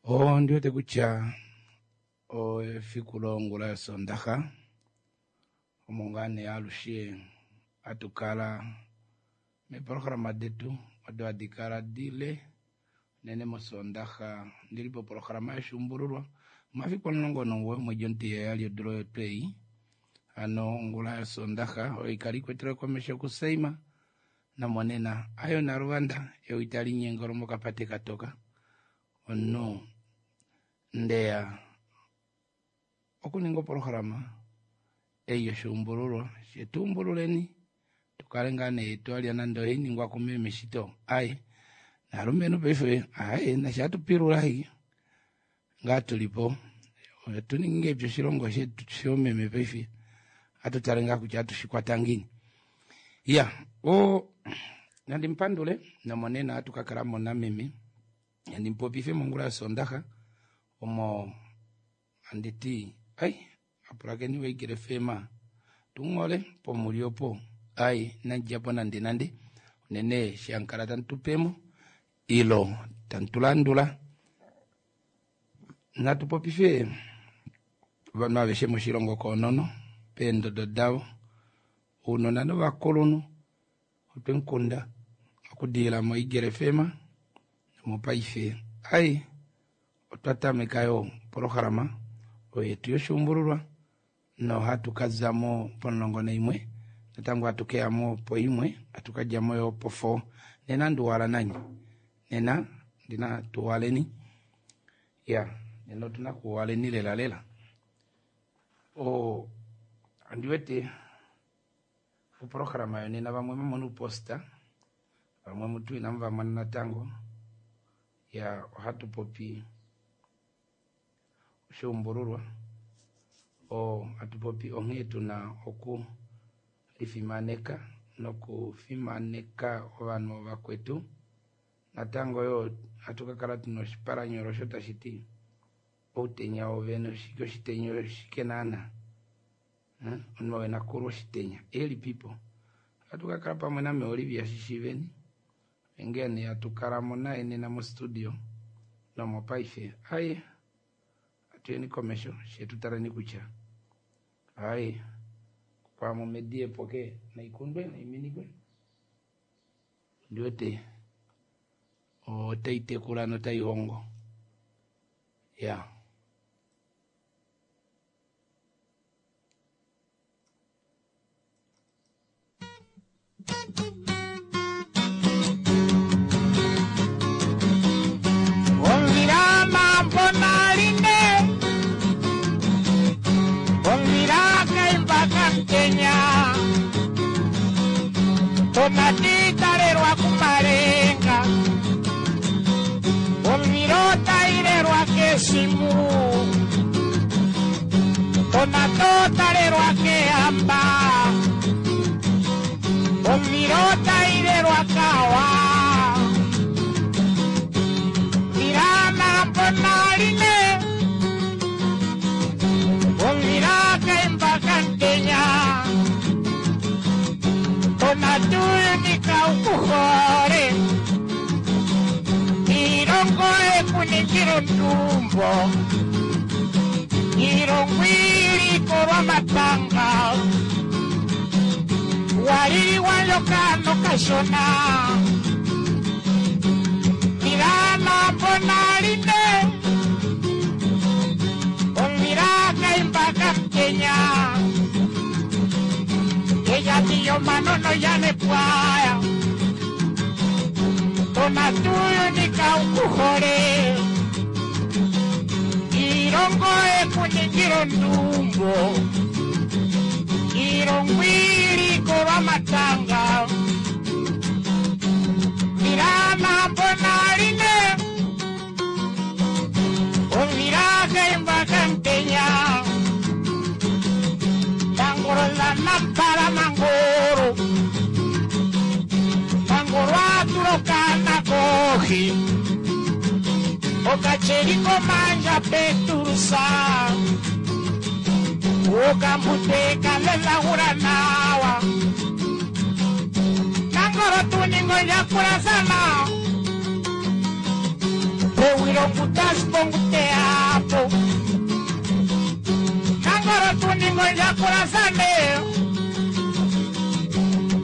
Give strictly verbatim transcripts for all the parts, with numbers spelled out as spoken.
Ondi wete kutya efiku longula yosondaxa omo ngaa nee alushe hatu kala meeprograma detu odo hadi kala dile unene mosondaxa. Ndili poprograma yoshuumbululwa omafiku omulongo nomugoyi omwedi omutiheyali odula oyo twei, hano ongula yosondaxa oyo ikala ikwetelwe komesho kuSeima nomonena ayo naluvanda ewi tali nyengolo mokapate katoka omunhu ndeya okuninga oprograma ei yoshuumbululwa shetuumbululeni tukale ngaa nee twalya nande ohainingwa kumeme shito ai naalumenhu paife aye nasha hatupilula i ngaa tulipo otuninge epya oshilongo shetu shomeme paife hatutale ngaa kutya hatushikwata ngiini. Ya o nandi mupandule nomonena hatu kakalamo nameme nandi mupopife mongula yosondaxa omo anditi ai apulakeni voIgele F M tunghole pomuli opo ai inandidjapo nande nande unene shankala tamutupemo ilo tamutulandula. Natu popife ovanhu aveshe moshilongo koonono peendodo davo ounona novakulunhu otwemukunda okudilila moIgele F M nomopaife ai otwa tameka yo programa oyo yetu yoshuumbululwa nohatu kazamo pomulongo naimwe natango hatu keyamo po imwe hatu kadjamo yo po four. Nena nduwala nanye nena ndina tuwaleni ya nena otuna kuwaleni lela lela. O andiwete oprograma yo nena vamwe mamona uposta vamwe mutu inamu vamona natango ya ohatu popi oshuumbululwa o hatu popi onghee tuna oku lifimaneka nokufimaneka ovanhu vakwetu. Natango yo hatu kakala tuna oshipalanyolo osho tashi ti outenya wovene oshike oshitenya oshike naana omunhu wena kulwa oshitenya elipipo. Hatu kakala pamwe name Olivia Shishiveni ngene hatu kalamo naye nena mostudio nomopaife aye atuyeni komesho shetu taleni kutya aye kwamo medie poke naikundwe naiminikwe ndiwete otaitekula notaihongo ya. Omvila mambo naline omvila kaimba kamtenya tonatitalelwa kumalenga omvila otailelwa kesimu tonatotalelwa kehamba omvila otailelwa kawa mvila mambo naline omvila kaimba kamtenya tonatuyunika ukuhole ilongo ekuningila ondumbo ilongo ilikolwa matanga waliliwa ndjoka nokashona mvila mambo naline omvila kaimba kamtenya eyatiyo manono yanepwaya Tonatuuyuni kaukuhole iilongo ekuningila ondumbo iilongo ilikolwa matanga milamambo naline ovilakaimbakantenya tangolola nampala mangoro mangoro atulokana kohi okacheliko manja peturusa okambuteka lelagura nawa nangoro tuningo nyakulasana pewilongutasponguteapo nangoro tuningo nyakulasane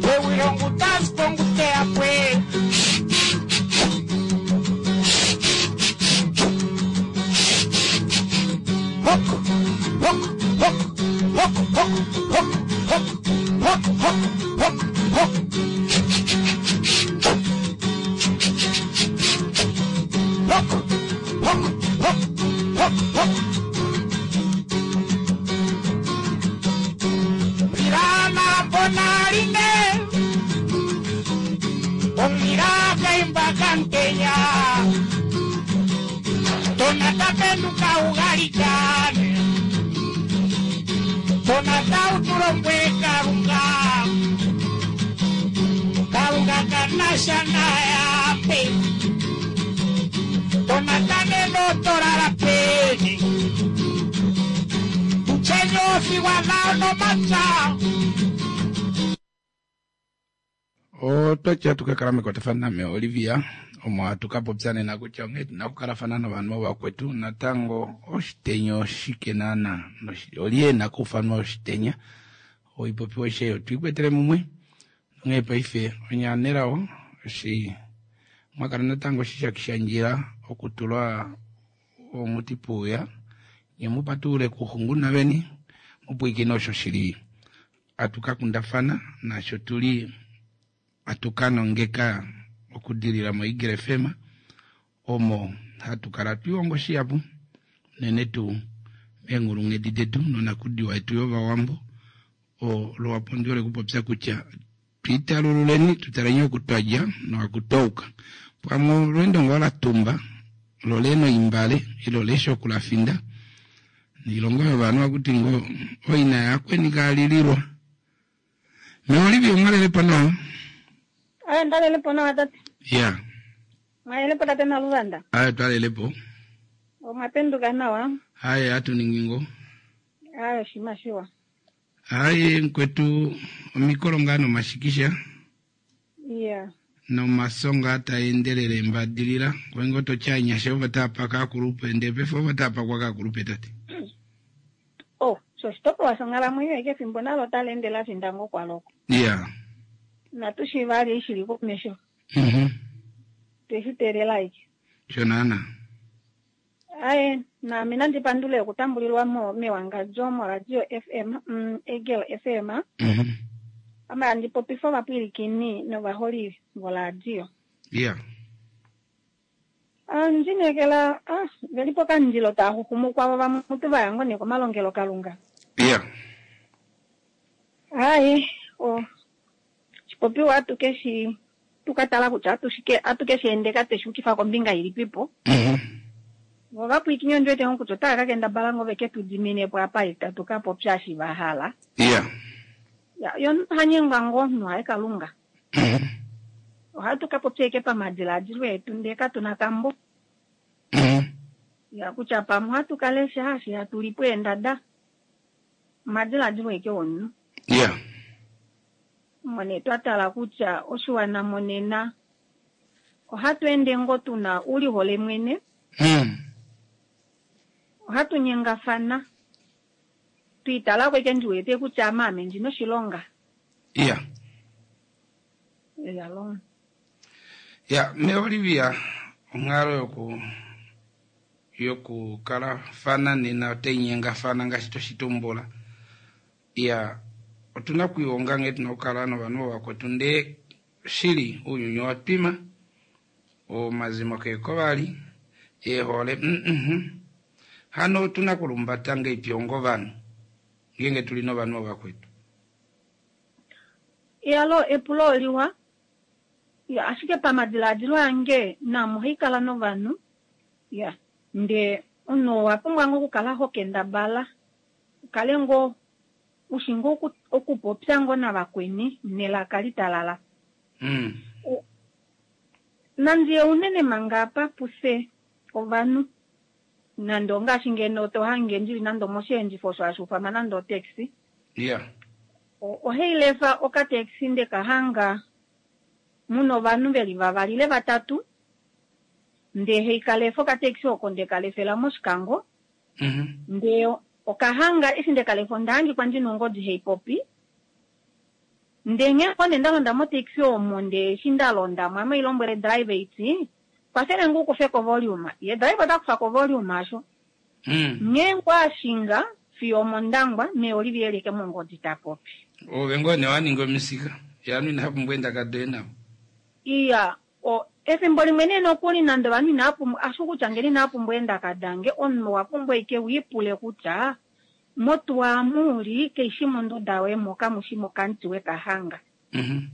pewilongutasponguteapwe hok hok hok hok hok hok hok hok hok hok hok hok hok hok hok hok Mirana bonarine Omiraka imbakanteya Tonata penduka ugalikane Tonata utulombwe karunga Karunga kanasha nayape Tonata neno torara peni Tuchenyo fiwalao no macha Otwatya tukakala mekwatafano name Olivia omo hatukapopya nena kutya onghee tuna okukalafana novanhu vakwetu natango oshitenya oshike naana olye ena okuufanwa oshitenya oipopiwa aishe oyo twiikwetele mumwe onghee paife onyaanelawo eshi mwakala natango shishakishandjila okutulwa omuti puuya nye mupatulule kuxunguna veni mupwiikine osho shili hatukakundafana naasho tuli hatukanongeka okudilila mo-Eagle F M omo hatukala twihongo shihapu unene tuu meenghulunghedi detu nonakudiwa yetu yovawambo olo wapondiwele kupopya kutya twiitalululeni tutaleni oku twadja noakutouka pamwe olweendo ngoo latumba lo lena oimbale ilo lesha okulafinda niilongo yovanhu akuti ngoo oina yakweni kaalililwa meolivia omwalelepo nawa. Aye, ndalelepo nawa tate. Ya. Mwalelepo tate Naluvanda. Aye, twalelepo. Omwapenduka nawa. Aye, atuningi ngo. Aye, shima shiwa. Aye, nkwetu omikolo ngaa nomashikisha. Yeah. Nomasonga taendelele mbadilila kwengo tochanyasha ovo tapaka akulupe ndepefo ovo tapakwa kakulupe tate. Oh, so oshitopolwa shonghalamwenyo eke efimbo nalo tali ende la finda ngo kwaloko. Yeah. Natu shivali shili komesho. Mhm. Tweshiteelela ike. Shonana. Aye, naame nandi pandule okutambulilwa mo mewangadjo moradio F M, mm, Eagle F M. Mhm. Ame handi popifa ovapwilikini novaholi voradio. Yeah. Ah, ndinekela, ah, veli pokandilo taa xuxumukwa vo vamwe mutu va yango nekomalongelo kalunga. Yeah. Aye, o shipopiwa atuke shi tukatala kutya atushike atuke shi endeka teshukifa kombinga ilipipo. Mhm. Vo vapwilikini ondi wete kutya otava ka kendabala ngo veke tu dimine po apa itatu ka popya shi va hala. Yeah. Ya, yo hanyengwa ngo omunhu haye kalunga. Mhm. Ohatu ka popya eke pamadiladilo etu ndee katuna kambo. Mhm. Ya kutya pamwe ohatu ka lesha hashi hatu lipo eendada. Omadiladilo eke omunhu. Yeah. Mone twatala kutya oshiwana monena ohatu ende ngo tuna ulihole mwene. Mm. Ohatu nyengafana. Twiitala kweke ndiwete kutya amaame ndina oshilonga. Yeah. Yalo. Ya, me Olivia onghalo yoku yokukalafana nena otai nyengafana ngaashi toshitumbula. Ya, otuna okuihonga nghee tuna okukala novanhu vakwetu ndee shili ounyuni owa twima. Omazimo keeko vali, eehole mm Hano otuna okulumbata ngeipi onga ovanhu ngeenge tuli novanhu ovakwetu? Iyalo epulo oliwa. Ya, ashike pamadilaadilo ange naame ohaikala novanhu. Ya, ndee omunhu owa pumbwa ngoo okukala hokendabala ukale ngoo ushi ngoo okupopya ngoo navakweni nelaka litalala. Mm. Nandi unene manga apa pufye ovanhu nande ongaashi ngeno to hange ndili nande omosheendifo osho hashi ufanwa nande otaxi. Yeah. Ohailefa okataxi ndekahanga muna ovanhu veli vavali ile vatatu ndee haikalefa okataxi oko ndekalefela mOshikango. Mm-hmm. Ndee okahanga eshi ndekalefa onda hangikwa ndina ongodi haipopi. Ndee nghee ngoo nee ndalonda motaxi omo ndee eshi ndalondamo ame hailombwele driver iti kwafele nge ukufeko volume, ye driver otakufako volume asho. Mm. Nghee ngoo ashinga fiyo omOndangwa mee Olivia eli eke mongodi tapopi. Ove ngoo nee waninga omisika yanu inapumbwa eendaka doye navo. Iya, o efimbo limwe nee nokuli nande ovanhu inapumbwa ashu kutya ngeno inapumbwa eendaka dange omunhu owa pumbwa ike wiipule kutya motuwa muli keishi monduda yoye moka mushi mokamuti wekahanga. Mm-hmm.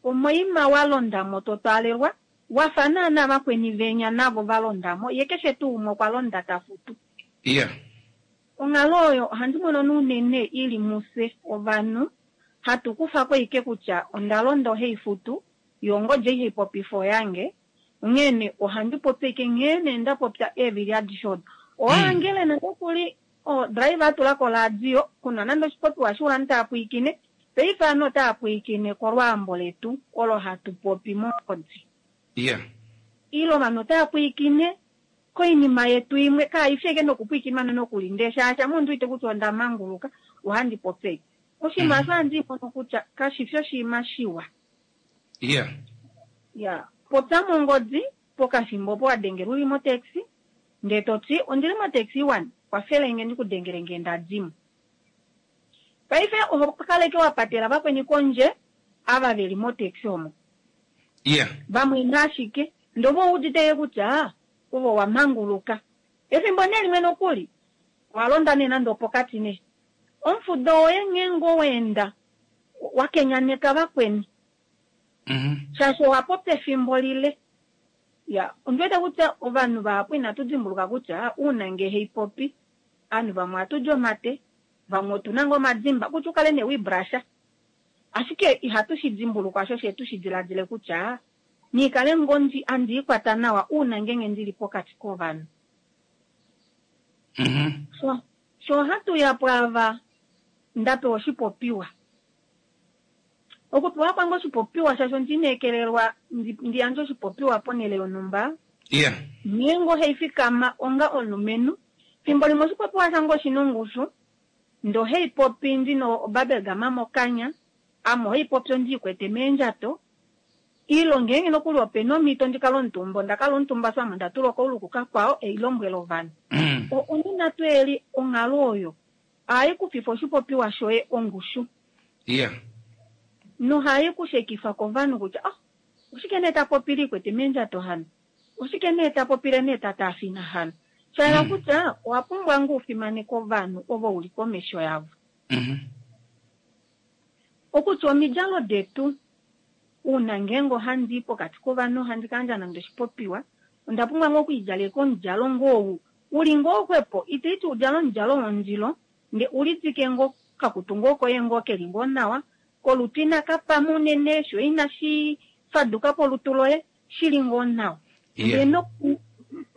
Omoima walondamo totwaalelwa wafa naana vakweni venya navo valondamo ye keshe tuu umwe okwa londa tafutu. Iya. Onghalo oyo ohandi mono unene ili mufye ovanhu hatu kufako ike kutya onda londa ohaifutu yo ongodi ei haipopifa oyange onghene ohandi popi ike nghee nee ndapopya eevili adishe odo. Owahangele nokuli driver atulako oradio kuna nande oshipopiwa shiwa ovanhu tava pwilikine paife ovanhu otava pwilikine kolwaambo letu olo hatu popi mongodi. Iya. Ile ovanhu otava pwilikine koinima yetu imwe kaifi ashike nokupwiikinwa nokuli ndee shaashi ame ondiwete kutya onda manguluka ohandi popi ashike. Oshinima osho ohandi mono kutya kashifi oshinima shiwa. Iya. Ya, popya mongodi pokafimbo opo wadengelwa uli motaxi ndee toti ondili motaxi one kwafelenge ndikudengele ngee ndadimo. Paife oho kaleke wapatela vakweni kondje ava veli motaxi omo. Iya. Vamwe ashike ndee ove ouudite kutya ove owamanguluka. Efimbo nee limwe nokuli owalonda nee nande opokati nee omufudo woye nghee ngoo weenda wakenyaneka vakweni. Mm-hmm. Shaashi owapopya efimbo lile. Ya, ondiwete kutya ovanhu vahapu inatu dimbuluka kutya uuna ngee haipopi ovanhu vamwe ohatuli omate vamwe otuna ngoo omadimba kutya ukale nee wiibrasha ashike ihatu shi dimbulukwa sho she tushi diladile kutya niikale ngoo andiikwata nawa uuna ngeenge ndili pokati kovanhu. Mm-hmm. So, sho hatuya pwaava ndapewa oshipopiwa. Okupewa kwange oshipopiwa shaashi ondiineekelelwa ndiyandje oshipopiwa ponhele yonhumba. Iya. Nghee ngoo haifikama onga omulumenhu fimbo limwe oshipopiwa shange oshina ongushu ndee ohaipopi ndina obubblegum mokanya ame ohaipopi ondiikwete meendjato ile ngeenge nokuli opena omhito ndikale omutumba ondakala omutumba ame ondatula okaulu kukakwao eilombwela ovanhu. Mm. Onena tuu eli onghalo oyo ohaikufifa oshipopiwa shoye ongushu. Iya. Nohai kushekifa kovanhu kutya oh, oshike nee tapopile ikwete meendjato hano oshike nee tapopile nee tataafina hano shayela Mm. kutya owa pumbwa ngoo ufimaneke ovanhu ovo uli komesho yavo. Mm-hmm. Okutya omidjalo detu uuna ngeenge ohandi pokati kovanhu ohandi kayandja nande oshipopiwa onda pumbwa ngoo okwiidjaleka omudjalo ngoo ou uli ngoo xwepo itaiti udjale omudjalo wondilo ndee ulidike ngoo kakutu ngoo koye ngoo keli ngoo nawa kolutu inakapama unene sho inashi faduka olutu loye shili ngoo nawa. Iya. Ndee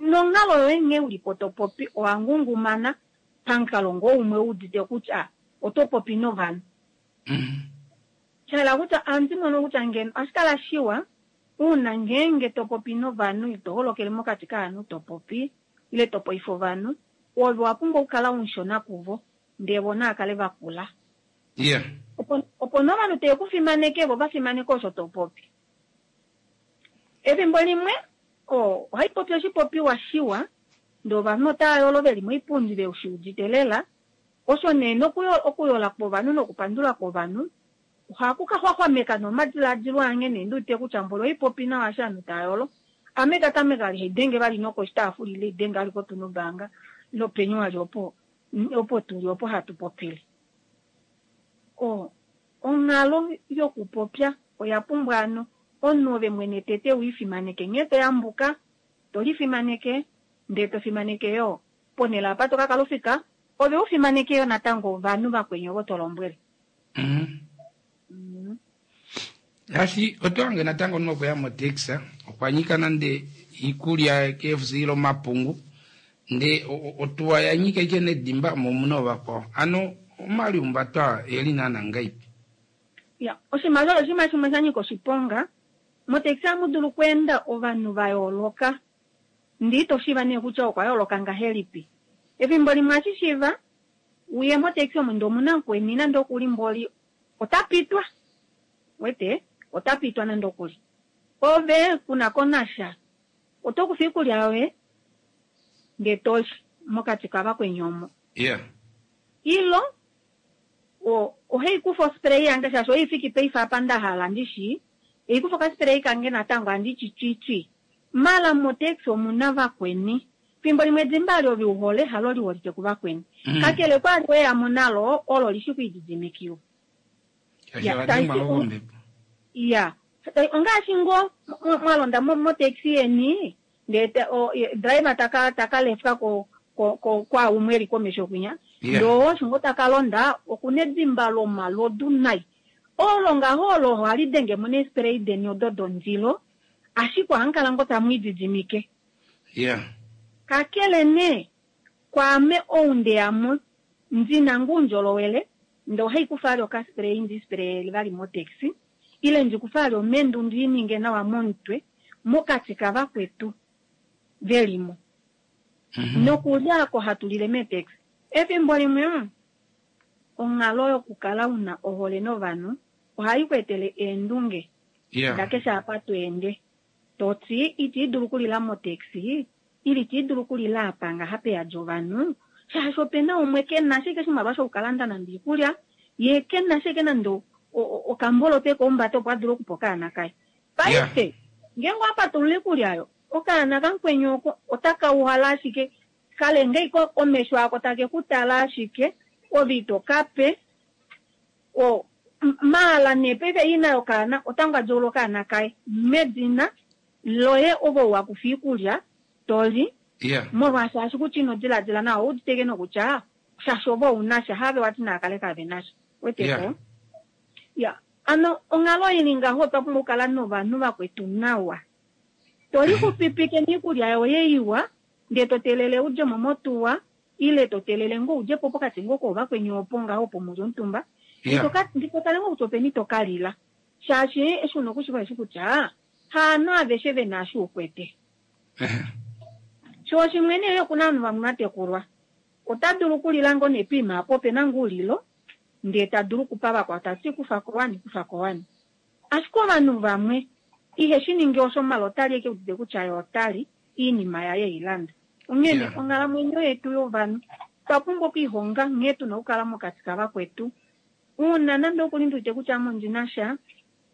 nonghalo yoye nghee ulipo topopi owangungumana pamukalo ngoo umwe wuudite kutya oto popi novanhu. Mm-hmm. Shayela kutya ohandi mono kutya ngeno ohashi kala shiwa uuna ngeenge topopi novanhu ito holokele mokati kovanhu topopi ile topoifa ovanhu ove owa pumbwa okukala umushona kuvo ndee vo naakale vakula. Iya. Opo opo nee ovanhu teve kufimaneke vo vafimaneke osho topopi. Efimbo limwe ohaipopi oshipopiwa shiwa ndee ovanhu otava yolo veli moipundi veshiudite lela osho nee okuyola kwovanhu nokupandula kwovanhu ohaku ka xwaxwameka nomadilaadilo ange nee ndiwete kutya mboli ohaipopi nawa eshi ovanhu tava yolo Ame tatameka ali haidenge vali nokoshitaafula ile idenge ali kotunubanga lopenyu ali opo opo tuli opo hatu popile. O onghalo yokupopya oya pumbwa ano omunhu ove mwene tete wiifimaneke nghee toyambuka tolifimaneke ndee tofimaneke yoo ponhele apa tokakala ofika ove ufimaneke yoo natango ovanhu vakweni ovo tolombwele. Mm. Ngaashi oto hange natango omunhu okuya motaxi okwa nyika nande iikulya K F C ile omapungu ndee otuwa ya nyika ike nedimba mo omuna ovakwao. Ano omaliumbato aa eli naana ngaipi? Ya, oshimaliwa oshinima shimwe sha nyika oshiponga. Motaxi ohamu dulu okweenda ovanhu va yooloka. Ndee ito shiiva nee kutya okwa yooloka ngahelipi. Efimbo limwe ohashi shiiva uye motaxi omo ndee omuna mukweni nande okuli mboli ota pitwa. Wete, ota pitwa nande okuli. Ove kuna ko nasha. Oto kufa iikulya yoye ndee toli mokati kavakweni omo. Yeah. Ilo ohai kufa ospray yange shaashi oifiki paife apa nda hala ndishi. Eikufa okaspray kange natango andi twi. Mala motaxi omuna vakweni. Fimbo limwe edimba ali ove uhole halo liholike kuvakweni. Mm. Kakele kwali weya mo nalo olo lishi kuididimikiwa. Ya, ya. Ongaashi ngo mwalonda motaxi yeni ndee driver taka taka lefka ko ko kwa umwe eli komesho kwinya. Ndoo osho ngo taka londa okuna edimba lomalodu nai. Olo ngaho olo ohali denge mo nespray deni odo dondilo. Ashike ohamukala ngo tamu ididimike. Yeah. Kakele nee kwaame oundeyamo ndina ngundjolowele ndee ohaikufa ali okaspray ndi spray vali motaxi ile ndikufa ali omendu ndiininge nawa momutwe mokati kavakwetu velimo. Mm-hmm. Nokulya ako hatu lile meetaxi. Efimbo limwe onghalo yokukala una ohole novanhu ohai ku etele eendunge. Yeah. Ndakeshe apa tweende. Toti iti dulu kulila motaxi ili iti dulu kulila apa ngaha peyadja ovanhu shaashi opena umwe kena ashike oshimaliwa shokukalanda nande iikulya ye kena ashike nande okambolo teko ombata opo a dule okupa okaana kaye. Paife ngeenge owapatulula iikulya yo okaana kamukweni oko otaka uhala ashike kalenge iko omesho ako take kutala ashike ove ito kape o maala nee paife ina yokaana otanga djoula okaana kaye medina loye ovo wakufa iikulya toli Yeah. molwaashi ashi kutya ino diladila nawa ouditeke nokutya shaashi ovo ounasha have wati naakale kave nasha weteko. Yeah. Ya, ano onghalo ili ngaho otwa pumbwa okukala novanhu vakwetu nawa. Tolixupipike niikulya yoye iwa ndee totelele udje mo motuwa ile totelele ngo udje po pokati ngo koovakweni opo ngaho opo muli omutumba. Yeah. Nditotale ngo kutya openi tokalila shaashi eshi una okushiva eshi kutya haanhu aveshe vena eshi ukwete. Sho shimwe nee okuna ovanhu vamwe vatekulwa ota dulu okulila ngo nepiima apo opena ngoo ulilo ndee ta dulu okupa vakwao tati kufa kowani kufa kowani. Ashike ovanhu vamwe ihe shi ningi osho malo otali eke udite kutya ye otali iinima yaye eilanda. Onghene Yeah. onghalamwenyo yetu yovanhu otwa pumbwa okwiihonga nghee tuna okukala mokati kavakwetu. Uuna nande okuli ndi wete kutya ame ondina sha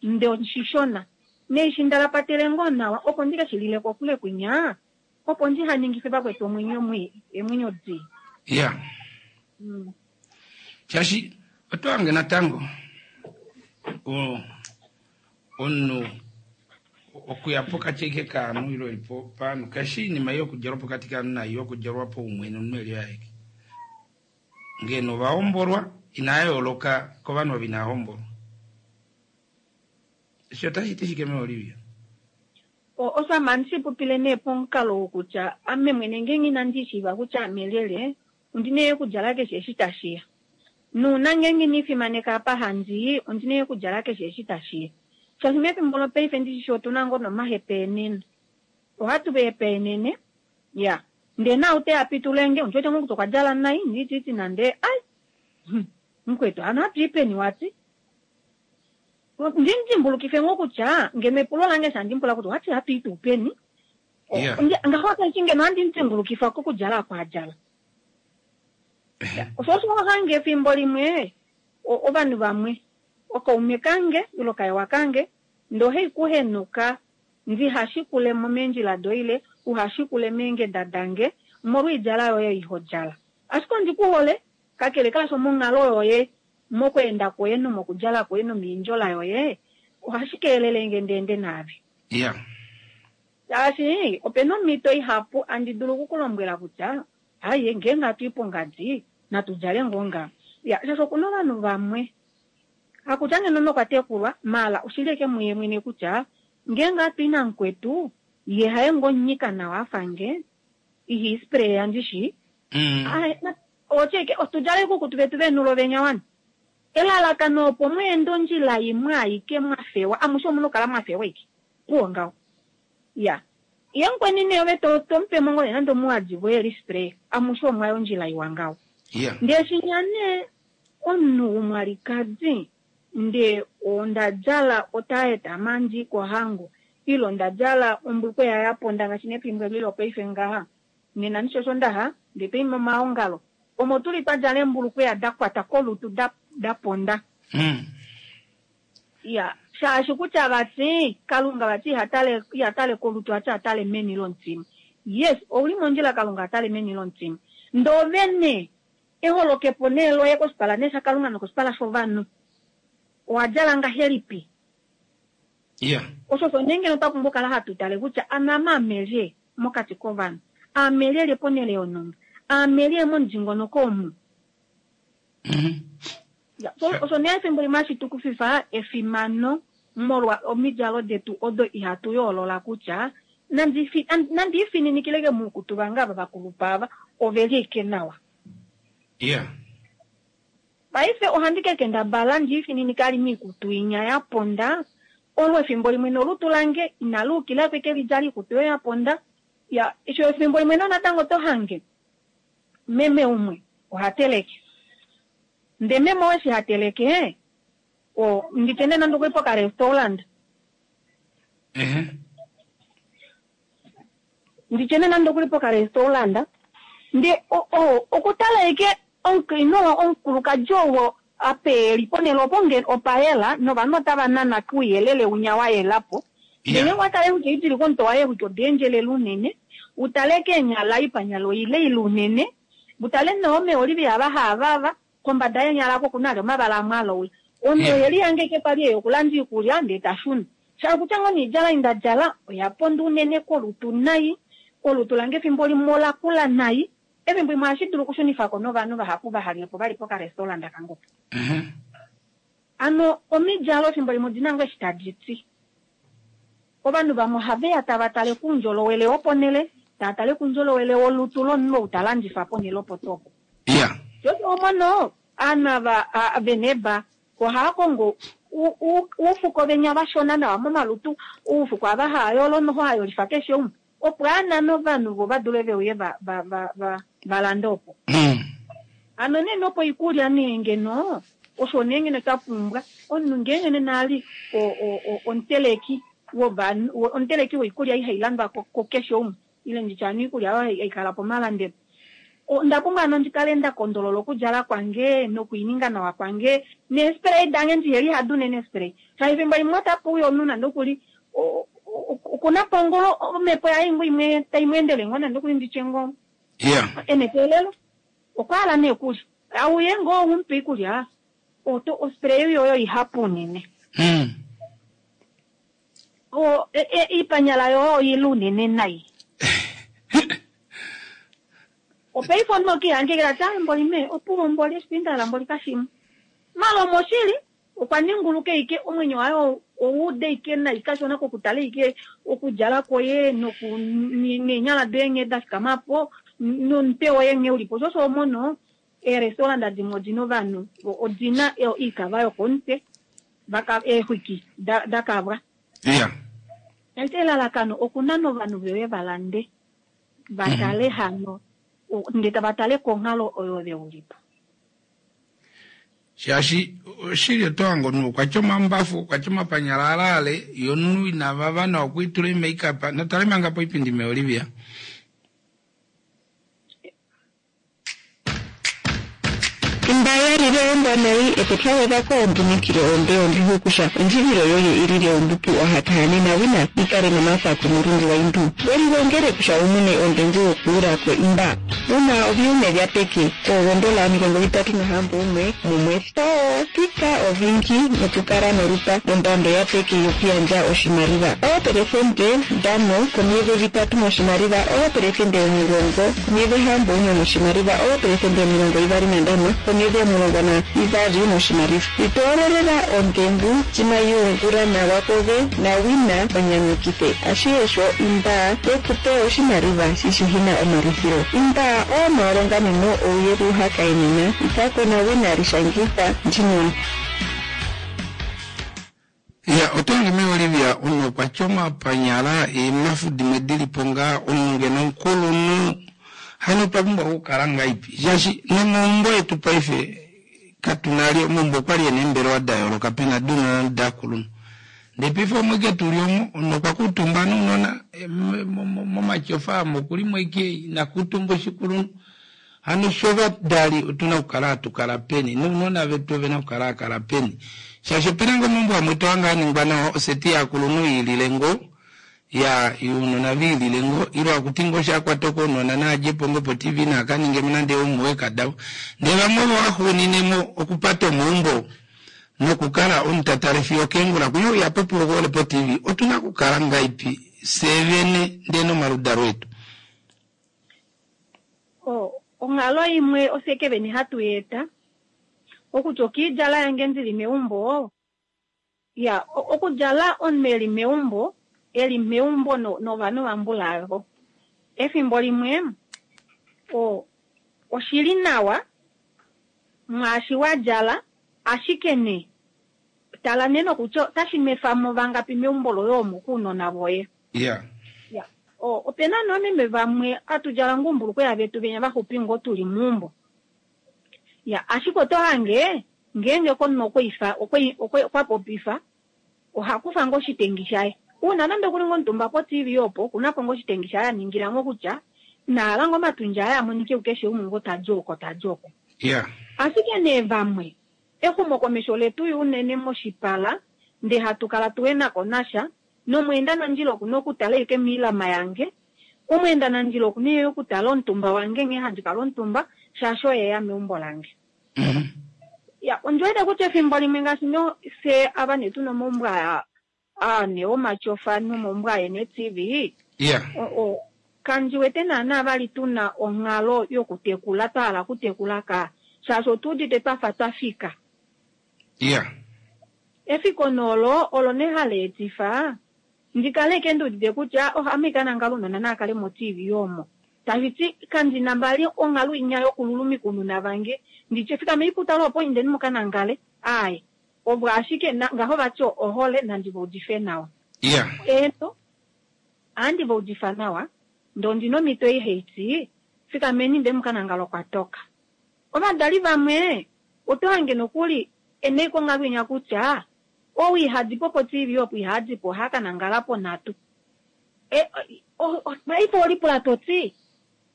ndee oshishona neishi ndalapatele ngoo nawa opo ndike shi lile kokule kwinya opo ndihaningife vakwetu omwenyo mwii emwenyo dii. Yeah. Mm. Shaashi oto hange natango o omunhu okuya pokati eke kaanhu ile elipo paanhu kashi iinima yokudjalwa pokati kaanhu nai yokudjalwa paumwene omunhu eli aeke. Ngeno ovahombolwa inaa yooloka kovanhu ovo inaa hombolwa. Eshi otashi ti shike meOlivia? Osho ame handi shipopile nee pomukalo wokutya ame mwene ngeenge inandi shiiva kutya ame lyelye ondina okudjala keshe eshi tashiya. Nuuna ngeenge iniifimaneka apa handi ondina okudjala keshe eshi tashiya. Shaashi mefimbo lopaife ndishi otuna ngoo nomahepeenene. Ohatu hepeenene ya ndee nau teya pitulenge ondiwete ngoo kutya okwa djala nai ndititi nande ai mukwetu hano hatu ipeni wati. Ndinidimbulukife ngoo kutya ngeno epulo lange shandimpula kutya owati hatu i tuu peni. Yeah. Ngaho taiti ngeno ohandi mudimbulukifa kokudjala akwaadjala. Osho osho hange efimbo limwe ovanhu vamwe okaume kange ile okaewa kange ndee ohai kuhenuka Ndiha shikule mo meendjila doye ile uha shikule meengeda dange omolwoidjala yoye ei ho djala. Ashike ondi ku hole, kakele kaasho monghalo yoye, mokweenda kwoye nomokudjala kwoye nomiindjola yoye, ohashi keelele nge ndi ende naave. Iya. Shaashi opena omhito ihapu andi dulu oku ku lombwela kutya aye ngeenge hatu i pongadi natu djale ngoo ngaha. Ya, shaashi okuna ovanhu vamwe hakutya ngeno nokwa tekulwa, maala oshili eke muye mwene kutya ngeenge hatu i namukwetu ye haye ngoo nyika nawa afa nge, iha ispreya ndishi. Mm. Aye, na- otye otudjale ikukutu vetu venulo venya wana. Elalakano opo mweende ondjila imwe aike mwa fewa, amushe omuna okukala mwa fewa ike. Puwo ngaho. Ya. Ye mukweni nee ove to to mupe mo ngoo nande omuwadi voye lispray, amushe omwaya ondjila iwa ngaho. Iya. Ndee shinya nee omunhu womwalikadi ndee onda djala otaeta mandi kohango ile onda djala ombulukweya ya ponda ngaashi nefimbo eli lopaife ngaha nena ndishi osho ndaha ndee toi momaongalo omo tuli twa djala eembulukweya da kwata kolutu da, da ponda. Mm. Ya, shaashi kutya vati Kalunga vati iha tale iha tale kolutu ati atale meni lomutima. Yes, ouli mondjila Kalunga atale meni lomutima. Ndee ove eholokepo nee loye koshipala nee shaKalunga nokoshipala shovanhu owa djala ngahelipi? Iya. Osho osho nee ngeno twa pumbwa okukala hatu tale kutya anama amelye mokati kovanhu, amelyelye ponhele yonhumba, amelye momudingonoko omu. Mhm. Ya, so osho nee efimbo limwe hashi tukufifa efimano molwa omidjalo detu odo ihatu yoolola kutya nandi nandi ifininikileke muukutu vange ava vakulupa ava oveli ike nawa. Iya. Paife ohandi kekendabala ndi ifininika ali miikutu inya ya ponda olo efimbo limwe nolutu lange inali ukila kweke lidjala iikutu oyo ya ponda. Ya, esho efimbo limwe nonatango to hange meme umwe oha teleke. Ndee meme oo eshi ha teleke, o nditye nee nande okuli pokarestaurant. Ehe. Nditye nee nande okuli pokarestaurant. Ndee o, o, okutala eke omukainhu oo omukulukadi oo apa eli ponhele opo nge opa yela novanhu otava nana kouyelele winya wa yela po. Iya. Ndele watale kutya idili komutwe waye kutya oda endjelela unene, utale keenyala oipanyala oile ile unene, utale neemeolivi ava haavava, kombada yeenyala oko okuna ali omavala amwe aloula. Omunhu Iya. oye lihange pali eya okulanda iikulya ndee ta shuna. Sha kutya ngoo noidjala ei nda djala oya ponda unene kolutu nai, olutu lange efimbo limwe ola kula nai, efimbo limwe ohashi dulu okushunifako novanhu vahapu vaha lye po vali pokarestaurant kange opo. Mhm. Ano omidjalo efimbo limwe odina ngoo eshi tadi ti. Ovanhu vamwe ohave ya tava tale koundjolowele woponhele, tava tale koundjolowele wolutu lomunhu ou ta landifa ponhele opo tuu opo. Iya. Sho omono aanhu ava veneba ohava kongo uufuko venya vashona nawa momalutu, uufuko ava hava yolo noho hayolifa keshe umwe, opo anane ovanhu vo va dule veuye va, va, va, va, va lande opo. Mm. Ano nee nopo ikulya nee ngeno osho nee ngeno twa pumbwa omunhu ngeenge nena ali omuteleki wovanhu, omuteleki woikulya ihai landwa kukeshe umwe ile nditye hano iikulya oyo hai kala pomalandelo. Onda pumbwa hano ndi kale nda kondolola okudjala kwange nokuininga nawa kwange neespray dange ndiheli hadi unene eespray. Shaashi efimbo limwe otapu uya omunhu nande okuli okuna po ngoo omhepo yaye ngoo imwe tai mu endele ngoo nande okuli nditye ngoo Iya. ena eteelelo okwa hala nee okulya. Auye ngoo umupe iikulya oto ospray yoyo ihapu unene. Mm. O e, e, iipanyala yoyo oile unene nai. Opaife omunhu okiihangekela ti mboli mee opuwo mboli eshi ndahala mboli kashimwe. Maala omoshili okwa ninguluka ike omwenyo waye owauda ike nai kashona kokutala ike okudjala kwoye noku neenyala doye nghee da fikama po nomutwe woye nghee ulipo. Sho osho omono eerestaurant dimwe odina ovanhu odina oikava yokomutwe vaka eexwiki da, da kavwa. Iya. Taiti elalakano okunana ovanhu vewe va lande va tale hano ndee tava tale konghalo oyo veulipo. Shaashi oshili oto hange omunhu okwa tya omambafu, okwa tya omapanyala alaale, ye omunhu inavava nawa okwiitula emakeup. Natale manga poipindi me Olivia. Imba yalile ombwanayi etotwagwedhako ombunikilo ombe ondjuhukusha ondjivilo yoye ilile ombupu ohatahane wina ikale nomafa komulungu waindu welilongele kusha umune ondengu wokuula ko imba una oviume vya peke oondola omilongo vitatu nahambo umwe mumwe pika ovingi nokukala norupa ondando ya peke yokuyandja oshimaliwa oopelesente ndano komiyeve vitatu moshimaliwa oopelesente omulongo komiyeve hambo umwe moshimaliwa oopelesente omilongo ivali nandano komiyeve omulongo na ivali moshimaliwa itoololela ondengu cimayungula nawa kove nawina onyanyukithe ashiesho imba yekupe oshimaliwa shishihina omalufilo imba oomaalonganeno ouye luhakaenena itako nawina lishangitha ndjino. Ya otongi me Olivia uno kwa choma panyala emafu dimwe dilipo ngaa omunhu ngeno omukulunhu hano otwa pumbwa okukala ngaipi shaashi nomaumbo etu paife katuna li omaumbo okwali ena eembelewa da yooloka pena dounona nodakulunhu ndee paife omwe ike tuli omo omunhu okwa kuutumba nounona momatyofa amo okulimo ike inakuutumba oshikulunhu hano shovadali otuna okukala hatukala peni nounona vetu ovena okukala hakala peni shaashi opena ngoo omaumbo amwe tohange aningwa nawa oseti yakulunhu iilile ngoo ya younona viilile ngoo ile akuti ngoo shakwatwa ounona naadjepo ngoo po T V naakaningemo nande homework davo ndee vamwe ovo vaxuuninemo okupata omaumbo nokukala omutatale fiyo keengula kuye uya popiwa okuhole po T V otuna okukala ngaipi fyee vene ndee nomaludalo etu. Onghalo imwe ofye vene hatu yeeta okutya okiidjala yange ndili meumbo ya okudjala omunhu eli meumbo eli meumbo novanhu vambulavo efimbo limwe o oshili nawa mwaashi wadjala ashike ne tala neno kutya otashi nwefamo vangapi meumbo loye omo kuunona voye. Yeah. Ya o opena noomeme vamwe atudjala ngumbulukweya vetu venya vaxupi ngoo tuli meumbo. Ya ashike oto hange ngeenge komunhu okwoifa okwa popifa ohakufa ngoo oshitengi shaye uuna nande okuli ngoo omutumba po T V opo okunapo ngoo oshitengi shaye aningila ngoo kutya nahala ngoo omatundja aye amonike kukeshe umwe ngoo tadi oko tadi oko. Yeah. Ashike nee vamwe exumokomesho letu unene moshipala ndee hatu kala tuwe nako nasha nomweenda nandjila okuna okutala ike miilama yange omweenda nandjila okuna yo okutala omutumba wange nghee handi kala omutumba shaashi oye ya meumbo lange. Mm-hmm. Ya ondjiwete kutya efimbo limwe ngaashi no fye ava nee tuna omaumbo aa ane omatyofa nomaumbo aye ne-T V. Yeah. O kandiwete naana vali tuna onghalo yokutekula twa hala okutekula ka shaashi otuudite twafa twafika. Yeah. Efiko nolo olo ne hali etifa ndikale ke nduudite kutya ohame kanangala unona naakale mo-T V omo tashiti kandina mbali onghalo inya yokululumika unona vange nditye fikame ikutala opo indeni mukanangale aye ovo ashike ngaho vati ohole nandivaudife nawa. Yeah. Eno andivaudifa nawa ndo ndina omhito ihaiti fikameni nde mukanangala okwatoka. Ovadali vamwe oto hange nokuli ene konghalo inya kutya ou ihadipo po T V opo ihadipo ohakanangala po nhatu. E paife olipula toti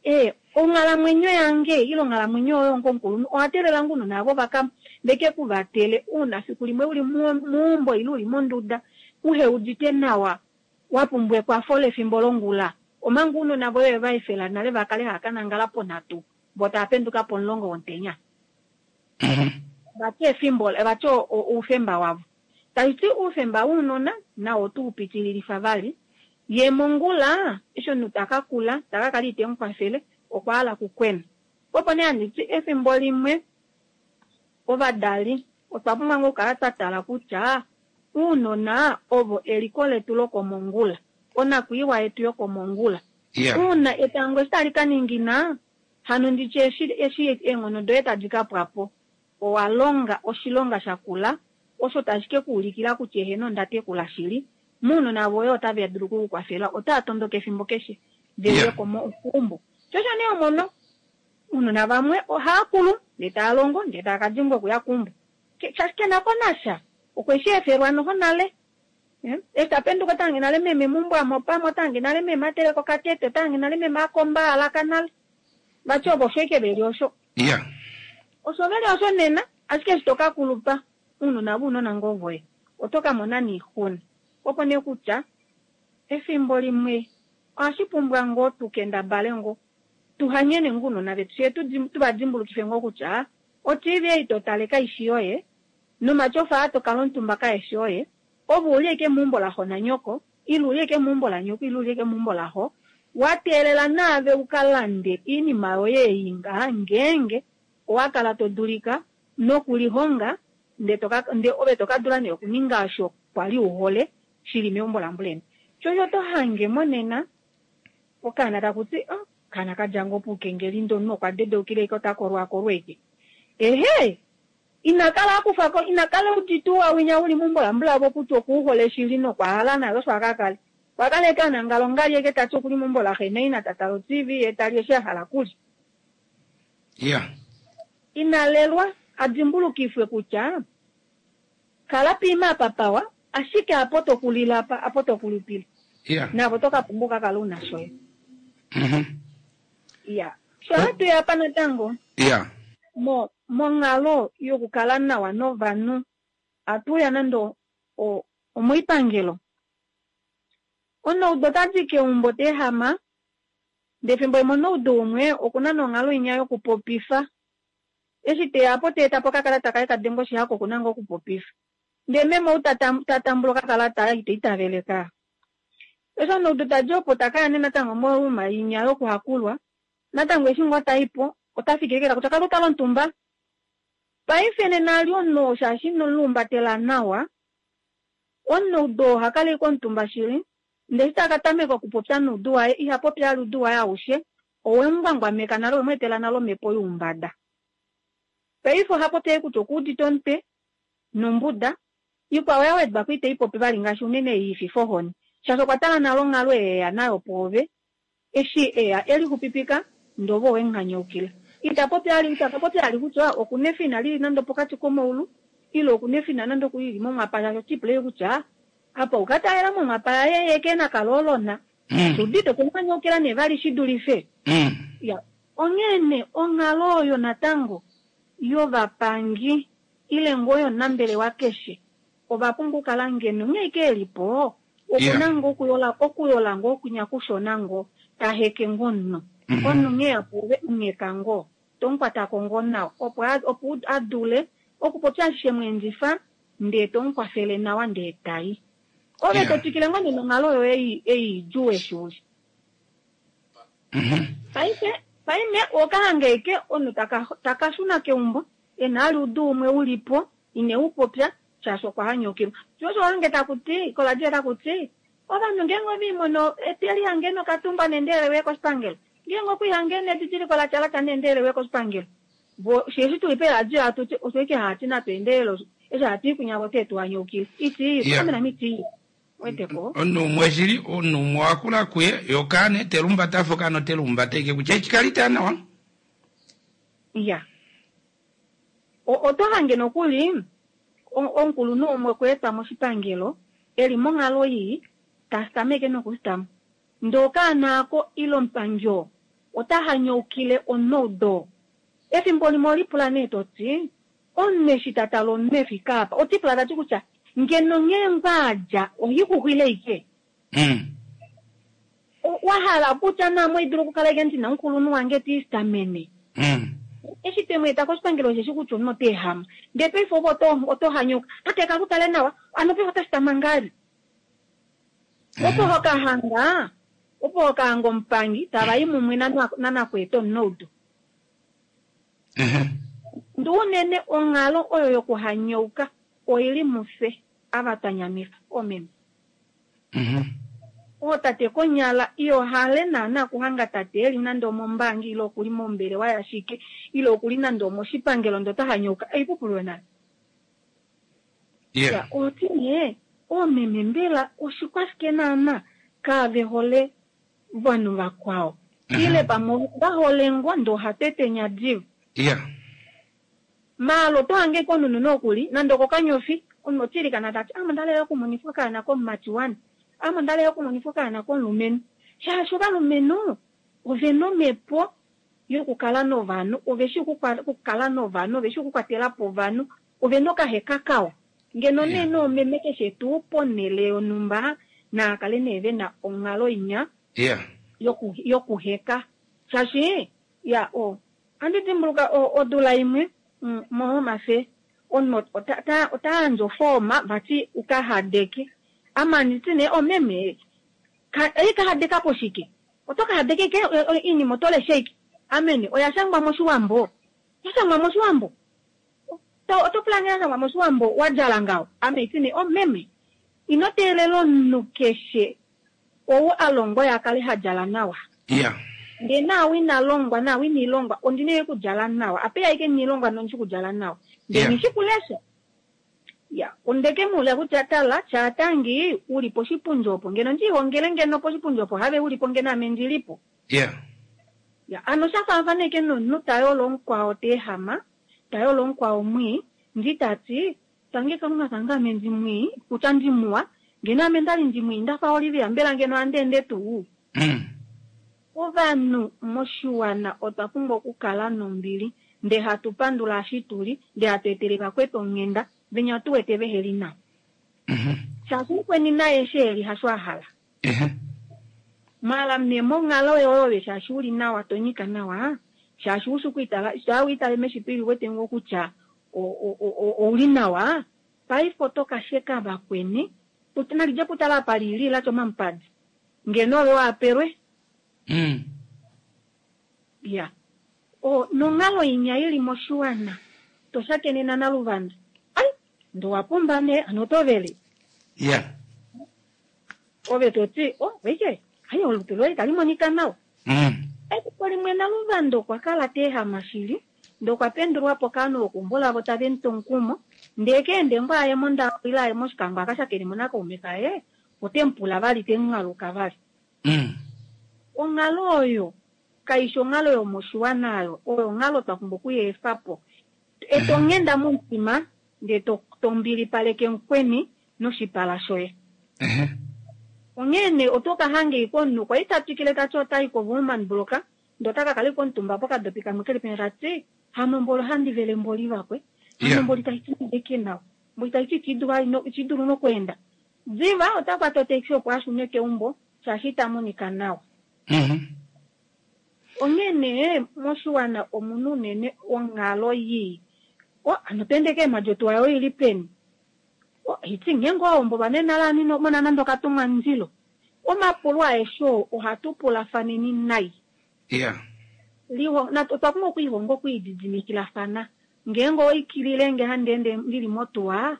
e onghalamwenyo yange ile onghalamwenyo oyo ongomukulunhu owatelela ngu navo vaka veke kuvatele uuna fiku limwe uli muumbo ile uli monduda uheudite nawa wapumbwa ekwafo lefimbo longula omanga uunona voye vaefela nale vakale hakanangala po nhatu vo tava penduka pomulongo womutenya. Vati efimbo vati oufemba wavo tashiti oufemba wounona nawo otu upitililifa vali ye mongula eshi omunhu takakula takakala itemukwafele okwa hala kukwena. Opo nee handiti efimbo limwe ovadali otwa pumbwa ngoo okukala twa tala kutya uunona ovo eliko letu lokomongula onakwiiwa yetu yokomongula. Yeah. Uuna etango eshi tali ka ningina hano nditye eshi eshi eenghono doye tadi ka pwapo owa longa oshilonga shakula osho tashi ke kuulikila kutya eheno onda tekula shili muunona voye otava dulu okukukwafela otava tondoka efimbo keshe veuye komaumbo. Shosho nee omono uunona vamwe ohaakulu ndee taa longo ndee taa kadimbwa okuya keumbo shaashi kenako nasha okweshi efelwa noho nale. Eshi tapenduka otange nale meme meumbo amo pamwe otange nale meme ateleka okatete otange nale meme akomba alaka nale vati ovo osho ike veli osho. Yeah. Osho veli osho nena ashike eshi to ka kulupa uunona vounona ngoo voye oto ka mona niixuna. Opo nee kutya efimbo limwe ohashi pumbwa ngoo tukendabale ngoo tuhanyene ngoo ounona vetu fyee tuva dimbulukife ngoo kutya o-T V ei totale kaishi yoye nomatyofa aa tokala omutumba kaeshi oye ove uli ashike meumbo laxo nanyoko ile uli ashike meumbo lanyoko ile uli ashike meumbo laxo wateelela naave ukalande oinima yoye ei ngaha ngeenge owakala todulika nokulihonga nde ove tokadula nee okuninga osho kwali uhole shili meumbo lambuleni. Sho osho tohange monena okaana takuti oh, kaana kadja ngoo poukengeli ndee omunhu okwa dedeukile ashike ota kolwaakolwa ashike. Ehe inakala akufako inakala udite ouwa winya uli meumbo lambulavo kutya okuuhole shili nokwahala naye osho akakale. Kwakala ashike anangala ongali ashike tati okuli meumbo laxe naina tatala o-T V yee tali eshi ahala okulya. Yeah. Inalelwa adimbulukifwe kutya kala piima apa pawa ashike apo tokulila apa apo tokulupile. Yeah. Navo tokapumbwa okakala una shoye. Mm-hmm. Yeah. Sho hatuya apa natango Yeah. mo monghalo yokukala nawa novanhu atuya nande omoipangelo omunaudu otadi keumbo teehama ndee efimbo limwe omunaudu umwe okuna nonghalo inya yokupopifa eshi teya po teeta po okakalata kaye kadenga oshihako okuna ngoo okupopifa ndee meme ou tatambula okakalata ite itaveleka eshi omunaudu tadi opo takaya nee natango moruma inya yokuhakulwa natango eshi ngoo taipo ota fikiri kutya kala utala omutumba paife nena ali omunhu shaashi inomulumbatela nawa omunaudu ohakala ashike omutumba shili ndee eshi takatameka okupopya noudu waye ihapopi ali oudu waye aushe owemungwangwameka nale owemweetela nale omhepo youmbada. Paife ohapopi ashike kutya okuudite omutwe nombuda ikwao yawedwako itaipopi vali ngaashi unene ei ififa ohoni shaashi okwa tala nale onghalo eya nayo pwoove eshi eya elixupipika ndee ove owemuhanyaukila. Itapopi ali itakapopi ali kutya okuna efina lili nande opokati komaulu ile okuna efina nande okulili momwapa shaashi otipule kutya apa ukatalela momwapa yaye ye kena kaloolona Mm. udite okumuhanyaukila nee vali shidulife. Mm. Ya onghene onghalo oyo natango yovapangi ile ngoo yonambelewa keshe ova pumbwa okukala ngeno onghee ike elipo okuna Yeah. ngoo okuyola okuyola ngoo okunya kushona ngoo taheke ngoo omunhu Mhm. omunhu nghee apuve munyeka ngoo tomukwatako ngoo nawa opo opo adule okupopya ashishe mweendifa ndee tomukwafele nawa ndee tai ove Yeah. totwikile ngoo nee nonghalo yoye ei ei idjuu eshi uli. Mhm. Paife paime okahange eke omunhu taka takashuna keumbo ena ali oudu umwe ulipo ine upopya shaashi okwa hanyaukilwa. Sho osho hange takuti koladio takuti ovanhu ngeenge oviimono etelihange nokatumba neendelele uye koshipangelo ngeenge okwiihange nedidiliko latya latya neendelele uye koshipangelo vo sheshi tuli peeradio hatuti osho ike hati natweendelele eshi hati kunyavo te tuhanyaukile iti Yeah. amena miti weteko Omunhu umwe shili omunhu umwe wakula kuye yokaana telumbata afa okaana otelumbata ike kutya echikali nawa. Ya oto hange nokuli omukulunhu umwe okweetwa moshipangelo eli monghalo ii tastameke nokusitama ndee okaana ako ile omupangi oo ota hanyaukile omunaudu efimbo limwe olipula nee toti omunhu eshi tatala omunhu efika apa otipula tati kutya ngeno nghee ngwaadja ohixuxwile ike Mm. wahala kutya naame oidulu okukala ike ndina omukulunhu wange tiisitamene Mm. eshi temweeta koshipangelo osheshi kutya omunhu oteehama ndee paife ove oto oto hanyuka tate kakutale nawa ano paife otashitama ngali opo hokahanga opo hokahanga omupangi tavayi mumwe nanakweeta omunaudu Mhm. ndee unene onghalo oyo yokuhanyauka oili mufye ava twanyamifa oomeme Mhm. ootate konyala iyohale naana kuhanga tate eli nande omombaanga ile okuli mombelewa yashike ile okuli nande omoshipangelo ndee ota hanyauka eipupulwe nale. Yeah. Ya, oti nee oomeme mbela oshikwashike naana kaave hole vanhu vakwao Mhm. ile pamwe vahole ngoo ndee ohatetenya diva Yeah. maala oto hange konunu nokuli nande okokanyofi omunhu otiilikana tati ame ondalela okumonifwa okaana komumati wane ame ondalela okumonifwa okaana komulumenhu shaashi ovalumenhu ovena omhepo yokukala novanhu, ove shi okukala novanhu, ove shi okukwatela po ovanhu, ove na okaheka kawa. Ngeno nee noomeme keshe tuu ponhele yonhumba naa kale nee ve na onghalo inya Yeah. yoku yokuheka. Shaashi ya o ohandi dimbuluka odula imwe moHome omunhu ota ota yandje ofooma vati uka hadeke. Ame anditi nee omeme ei ka hadeka po shike? Oto ka hadeke ike oinima oto lesha ike? Amene oya shangwa moshiwambo. Ya shangwa moshiwambo. Oto pula nghee ya shangwa moshiwambo wa djala ngaho. Ame iti nee omeme ino teelela omunhu keshe ou a longwa ya kale ha djala nawa. Yeah. Ndee naawe ina longwa naawe ina ilongwa ondina ike okudjala nawa. Apeya ike niilongwa nondishi okudjala nawa. Ndee Yeah. nishi kulesha. Ya, ondeke muula kutya tala chaatangi uli poshipundi opo ngeno ndiihongele ngeno poshipundi opo have ulipo ngeno ame ndilipo. Yeah. Ya, ano sha faafana ike nomunhu ta yolo omukwao ta ehama, ta yolo omukwao mwii, ndi tati tangi kalunga kange ame ndi mwii, kutya ndi muwa, ngeno ame ndali ndi mwii ndafa Olivia, mbela ngeno ohandi ende tuu? Mm. Ovanhu moshiwana otwa pumbwa okukala nombili, ndee hatu pandula eshi tuli, ndee hatu etele vakwetu onghenda, venya tu wete veheli nawa. Mhm. Shaashi mukweni naye eshi eli hasho a hala. Ehe. Mala ne monghalo yoye shaashi uli nawa to nyika nawa, shaashi ushi okwiitala, shaa wiitale meshipili wete ngoo kutya ouli nawa, paife oto ka sheka vakweni, nalidje putala apa lili latya omamupadi. Ngeno ove waapelwe. Mm. Ya. O nonghalo inya ili moshiwana, to shakenena naluvanda. Ai, ndo wapumba nee, ano oto vele. Yeah. Ove toti, oh, weke, ai olutu loye tali monika nawa. Mm. Efiku limwe naluvanda okwa kala ta ehama shili, ndee okwa pendulwa po kaanhu vokumbola vo tave mu tu omukumo, ndee keende ngoo aye mondawo ile aye moshikango a ka shakene mo nakaume kaye, ote mu pula vali te mu haluka vali. Mm. Onghalo oyo kaishi onghalo yomoshiwana oyo, oyo onghalo twa pumbwa okuyeefa po. Eto nghenda momutima, ndee to to mbilipaleke mukweni noshipala shoye. Ehe. Onghee nee oto ka hanga ike omunhu kwali ta twikile tati otayi koWoermann Brock, ndee ota ka kala ike omutumba pokadopi kamwe keli penya tati hano mboli ohandi vele mboli vakwe, hano Yeah. mboli taiti nawa, mboli taiti itidulu nokweenda. Diva ota kwata otaxi opo ashune keumbo shaashi ita monika nawa. Mhm. Onghee nee moshiwana omuna unene onghalo yii. O, ano to ende keemhadi otuwa yoye ili peni? O, iti ngeenge owahombolwa nee nale ano ino mona nande okatumwa mundilo. Omapulo aeshe oo ohatu pulafaneni nai. Yeah. Liho, na otwa pumbwa okwiihonga okwiididimikilafana. Ngeenge owaikilile nge handi ende ndili motuwa,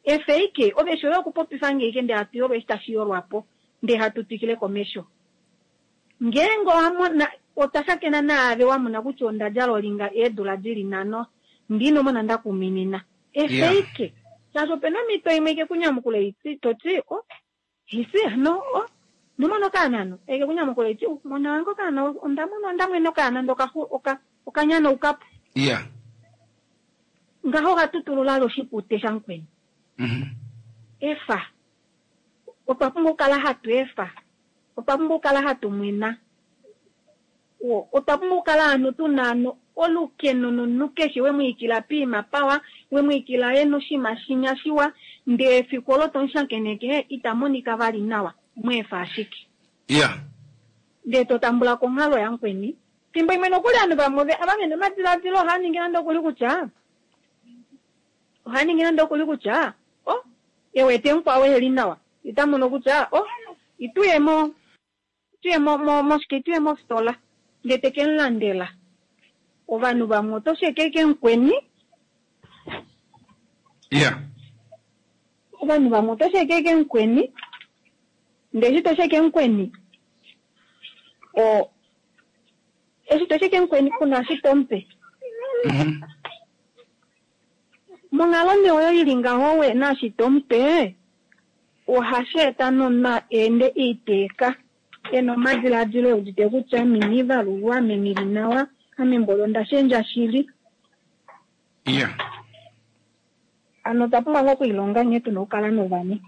efe ike, ove eshi oye okupopifa nge ike ndee hatu yolwa eshi tashi yolwa po, ndee hatu twikile komesho. Ngeenge owamona, otwa shakena naave wamona kutya onda djala olinga eedula dili nhano, ndi inomona ndakuminina. Efe Yeah. ike. Shaashi opena omhito imwe ike kunyamukula iti, toti, oh, isi hano, oh, nomona okaana hano. Eke kunyamukula iti, oh, mona wange okaana, onda mona, onda mwene okaana ndee okaxu- oka- okanyanaukapo. Yeah. Ngaho okatutulula ali oshipute shamukweni. Mhm. Efa. Otwa pumbwa okukala hatu efa. Otwa pumbwa okukala hatu mwena. O, otwa pumbwa okukala hano tuna hano olukeno nomunhu keshe wemwiikila piima pawa, wemwiikila ye noshinima shinya shiwa, ndee efiku olo tomushakeneke ita monika vali nawa, mweefa ashike. Yeah. Ndee to tambula konghalo yamukweni. Fimbo imwe nokuli ovanhu vamwe ove- ava vena omadiladilo ohava ningi nande okuli kutya, ohava ningi nande okuli kutya, oh, ewete mukwao eheli nawa. Ita mono kutya, oh, ituye mo, ituye mo, mo, moshike, ituye mofitola. Ndee teke mulandela. Ovanhu vamwe oto sheke ike mukweni. Yeah. Ovanhu vamwe oto sheke ike mukweni. Ndee eshi to sheke mukweni, o, eshi to sheke mukweni kuna eshi tomupe. Mhm. Monghalo nee oyo ili ngaho we naashi tomupe, ohashi eta nomunhu eende iiteeka, ena omadiladilo e udite kutya ame ina ivalulwa, ame nghi nawa, ame mboli onda shendja shili. Yeah. Ano otwa pumbwa ngoo okwiilonga nghee tuna okukala novanhu.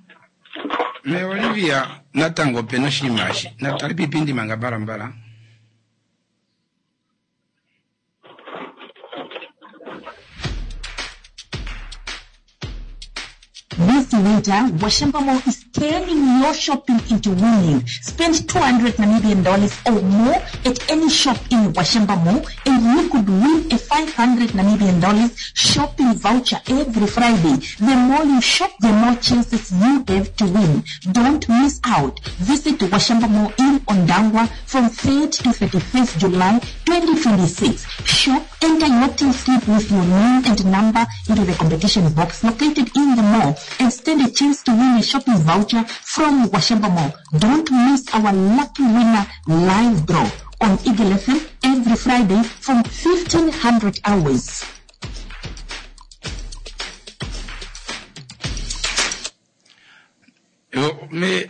Me Olivia, natango opena oshinima eshi. Natali piipindi manga mbalambala. This winter, Washamba Mall is turning your shopping into winning. Spend two hundred Namibian dollars or more at any shop in Washamba Mall and you could win a five hundred Namibian dollars shopping voucher every Friday. The more you shop, the more chances you have to win. Don't miss out. Visit Washamba Mall in Ondangwa from third to thirty-first July twenty twenty-six. Shop, enter your till slip with your name and number into the competition box located in the mall and stand a chance to win a shopping voucher from Washamba Mall. Don't miss our lucky winner live draw on Eagle F M every Friday from fifteen hundred hours. Yo, me,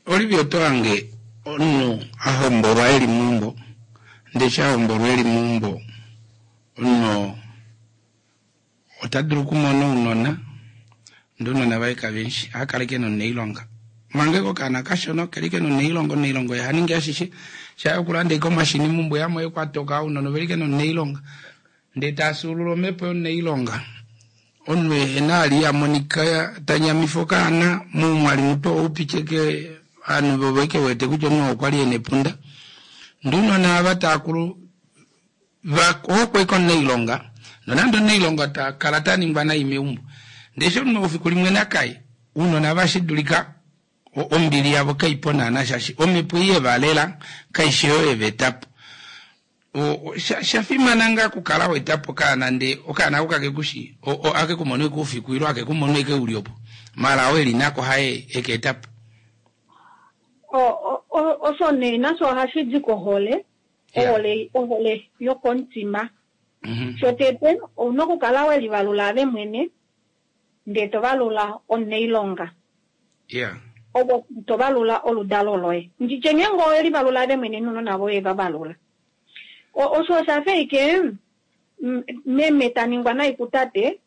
Olivia Toange, ono, ahombolwa eli mumbo, ndesha ahombolwa eli mumbo, ono, ota dulu kumona ounona, ndee ounona vaye kavenshi, akaleke noneilonga. Mange kokana kashona, kelike noneilonga, oneilonga yahaningi ashishe, shaya okulanda ike omashini mumbo yamwe ekwatoka, ounona ovelike noneilonga. Ndee tasulula omhepo yoneilonga. Omunhu ehena ali amonika tanyamifa okaana, mumwali muto oupicheke, ovanhu vovo ike wete kutya omunhu okwa li ena epunda. Ndee ounona ava taakulu, hokwe koneilonga, nonande oneilonga takala taningwa nai meumbo. Ndee eshi omunhu efiku limwe nakaye, ounona vashidulika ombili yavo kaipo naana shaashi omhepo ei yevalela kaishi oyo yevetapo. Shafimana ngaa okukala wetapo okaana ndee okaana ako kakekushi akekumona eke oufiku ile akekumona eke uli opo mala oo eli nako haye ekeetapo. Osho nee nasho ohashi di kohole, ohole, ohole yokomutima. Shotete ouna okukala welivalula ave mwene ndee tovalula omunailonga. Opo tovalula oludalo loye. Nditye ngeenge owelivalula ave mwene nounona voye vavalula. Osho osha fa ike meme ta ningwa nai kutate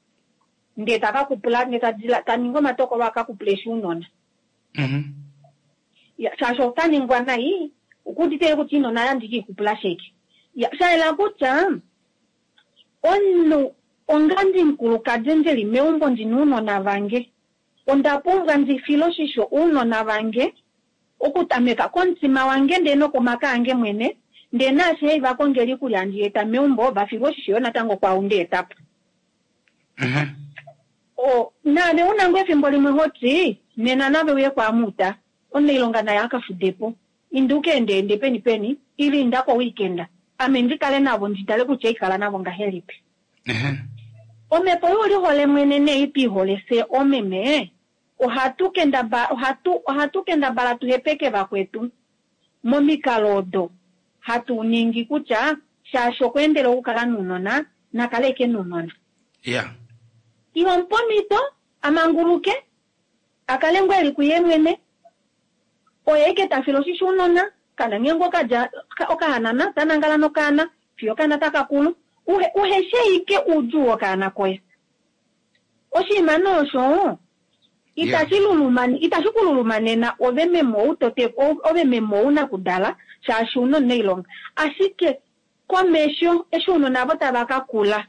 ndee takakupula ndee taningi omatokolo akakupula eshi ounona. Shaashi otaningwa nai okuudite kutya inona yandike ikupula sheke. Shayela kutya omunhu ongandi mukulukadi ndili meumbo ndina ounona vange onda pumbwa ndi file oshisho ounona vange okutameka komutima wange ndee nokomaka ange mwene ndee naashi hei vakongela iikulya ndieta meumbo vafilwe oshisho yo natango kwau ndeetapo. Naave una ngoo efimbo limwe hoti nena nave uye kwaamuta omunailonga naye akafudepo inda ukeendeende peni peni ile inda koweekend ame ndikale navo nditale kutya ikala navo ngahelipi. Omhepo youlihole mwene nee twiihole fye omeme ohatu kendabala ohatu ohatu kendabala tuhepeke vakwetu momikalo odo hatu ningi kutya shaashi okweendela okukala nounona nakale eke nounona. Iho mupomhito amanguluke akale ngoo eli kuye mwene oye eke tafile oshisho ounona kana ngeenge okadja okahanana tanangala nokaana fiyo okaana takakulu uheshe ike oudjuu wokaana koye. Oshinima nee osho itashi luluma itashi kululumanena ove meme ou tote ove meme ou nakudala shaashi una omunailonga ashike komesho eshi ounona avo tava kakula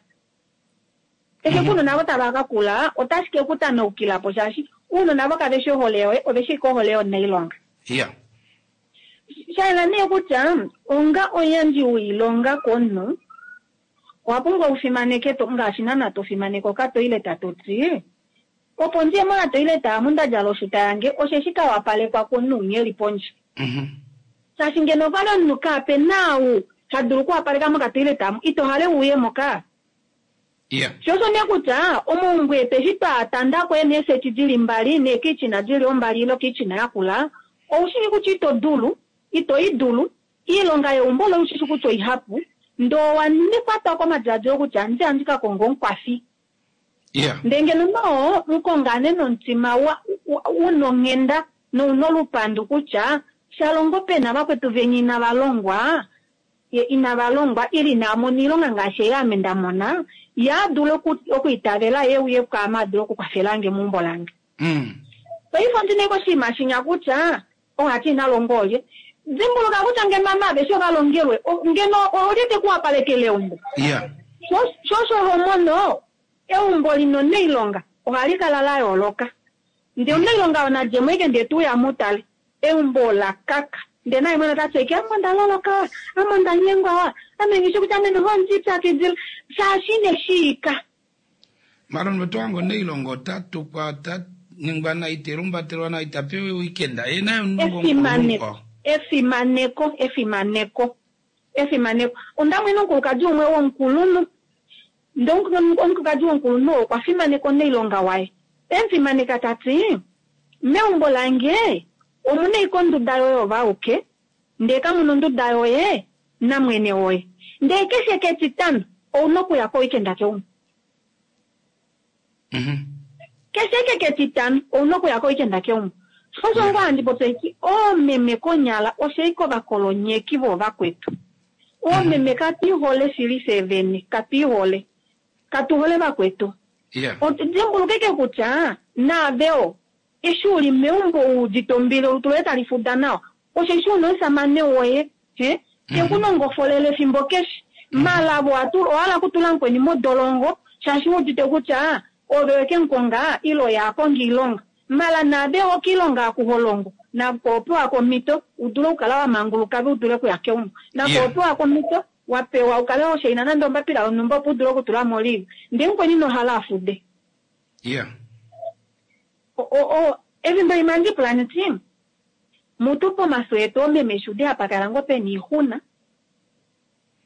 eshi ounona avo tava kakula otashi ke kutanaukilapo shaashi ounona avo kaveshi ohole yoye oveshi ike ohole yomunailonga. Shayela nee kutya onga omuyandji woilonga komunhu owa pumbwa ufimaneke ngaashi naana tofimaneke okatoileta toti opo ndiye mokatoileta amu ndadjala oshuta yange osheshi kawapalekwa komunhu umwe eli pondje. Shaashi ngeno okwali omunhu kape naau tadulu okuwapaleka mokatoileta amu ito hale uye moka. Sho osho nee kutya omaumbo etu eshi twatandako eeneeseti dili mbali neekichina dili ombali ile okichina yakula oushili kutya ito dulu ito idulu iilonga yeumbo loye oushili kutya oihapu ndee owakwatwa komadiladilo kutya andi andi kakonga omukwafi. Ndee ngeno noo mukongane nomutima una onghenda nouna olupandu kutya shalongo pena vakwetu venya inava inava longwa ile inava oilonga ngaashi ei ame ndamona ye adule okwiitavela ye uye kwaame adule okukwafelange meumbo lange. Paife ondina ike oshinima shinya kutya ohati inalongwa olye dimbuluka kutya ngeno ame aveshe ovalongelwe ngeno olye tekuwapalekele eumbo. Sho osho homono eumbo lina omunailonga ohali kala la yooloka. Ndee omunailonga oo nadjemo ike ndee tuuya mutale eumbo ola kaka ndee naye mwene otati ike ame onda loloka wa ame onda nyengwa wa ame nghishi kutya ame noho ondipyakidila shaashi ineshiika. Mara omunhu oto hange omunailonga ota tukwa ota ningwa nai telumbatelwa nai tapewa weekend ye naye omunhu ngoo Efimaneko efimaneko efimaneko efimaneko onda mwene omukulukadi umwe womukulunhu ndee omukulukadi womukulunhu oo okwa fimaneka omunailonga waye emufimaneka tati meumbo lange omuna ashike onduda yoye ove auke ndee kamuna onduda yoye namwene woye ndee keshe ketitano ouna okuya koweekend keumbo. Keshe eke ketitano ouna okuya koweekend keumbo. Osho ngoo handi popi eti oomeme konyala oshaika ovakolonyeki voovakwetu. Oomeme katu ihole shili fyee vene, katu ihole. Katu hole vakwetu. Dimbuluka ike kutya naave oo eshi uli meumbo uudite ombili olutu loye tali fuda nawa osheshi una omusamane woye he teku nongofolele efimbo keshe maala avo owahala okutula mukweni modolongo shaashi wuudite kutya ove weke mukonga ile oye akonga oilonga maala naave oo koilonga oku holongo nako opewa komhito udule okukala wamanguluka ve udule okuya keumbo nako opewa komhito wapewa ukale washaina nande ombapila yonhumba opo udule okutulamo olive ndee mukweni inohala afude. Efimbo limwe ohandi lipula nditi mutu pomafyo etu oomeme eshi ude hapa kala ngoo pena oixuna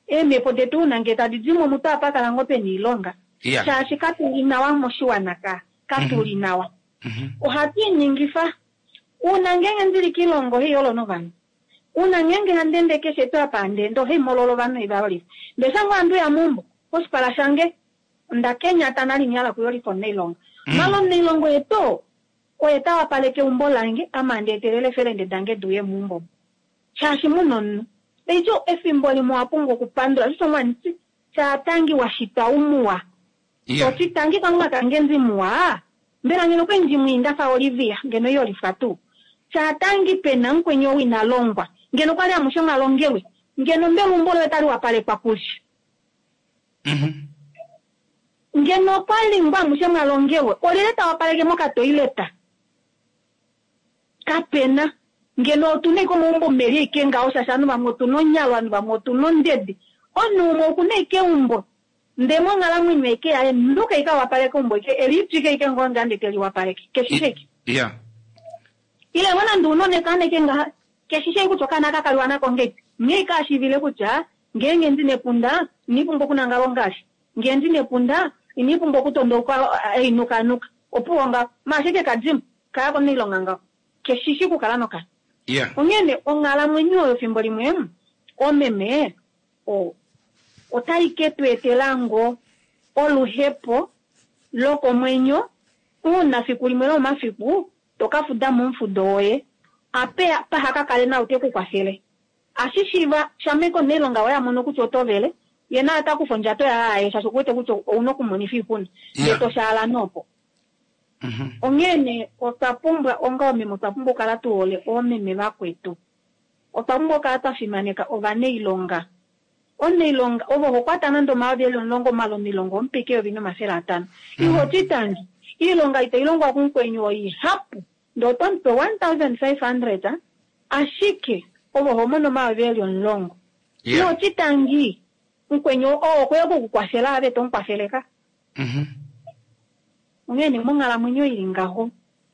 eemhepo detu ouna ngee tadi dimo mutu ohapa kala ngoo pena oilonga shaashi katuli nawa moshiwana ka katuli nawa. Ohatu iningifa uuna ngeenge ndili koilonga ohaiyolo novanhu uuna ngeenge handi ende keshe tuu apa handi ende ohaimololo ovanhu haivayolifa ndee shange ohandi uya meumbo koshipala shange onda kenyata nale ina hala okuyolifa omunailonga maala omunailonga oye tuu oye tawapaleke eumbo lange ame handi etelele eefelende dange diuye meumbo shaashi muna omunhu eico efimbo limwe owapumbwa okupandula shosho mwanditi shaatangi washitwa umuwa toti tangi kalunga kange ndimuwa mbela ngeno okwali ndimwii ndafa Olivia ngeno iyolifwa tuu shaatangi pena mukweni ou ina longwa ngeno okwali amushe mwalongelwe ngeno mbela eumbo loye otali wapalekwa kulye ngeno okwali ngoo amushe mwalongelwe olyelye tawapaleke mokatoileta kapena ngeno otuna ashike omaumbo meli ashike ngaho shaashi ovanhu vamwe otuna onyalo ovanhu vamwe otuna ondede omunhu umwe okuna ashike eumbo ndee monghalamwenyo ashike yaye nuka ashike awapaleke eumbo ashike elipyike ashike ngoo ndee teliwapaleke keshishe ashike ile ngoo nande una okaana ashike ngaha keshishe ashike kutya okaana aka kaliwa nako ngahelipi nghee ashike ashiivile kutya ngeenge ndina epunda ina pumbwa okunangala ongaashi ngee ndina epunda ina pumbwa okutondauka ainukanuka opuwo ngaho maala ashike kadimo kaya konailonga ngaho keshishi okukala nokana. Onghene onghalamwenyo oyo fimbo limwe omeme otai ke tu etela ngoo oluhepo lokomwenyo uuna fiku limwe lomomafiku toka fuda momufudo woye ape paha kakale nau te kukwafele ashishiiva shamha omunailonga woye amono kutya oto vele ye naye ota kufa ondjato yaye aye shaashi okuwete kutya ouna okumonifa oixuna ndee toshaala noopo. Onghene otwa pumbwa onga oomeme otwa pumbwa okukala tuhole oomeme vakwetu otwa pumbwa okukala twafimaneka ovanailonga omunailonga ove ohokwata nande omayovi eli omulongo maala omunailonga omupeke eyovi nomafele atano ihoti tangi oilonga itailongwa kumukweni oihapu ndee otomupe one thousand five hundred ashike ove ohomono omayovi eli omulongo ihoti tangi mukweni oo okweya okukukwafela ave tomukwafele ka. Onghene monghalamwenyo ili ngaho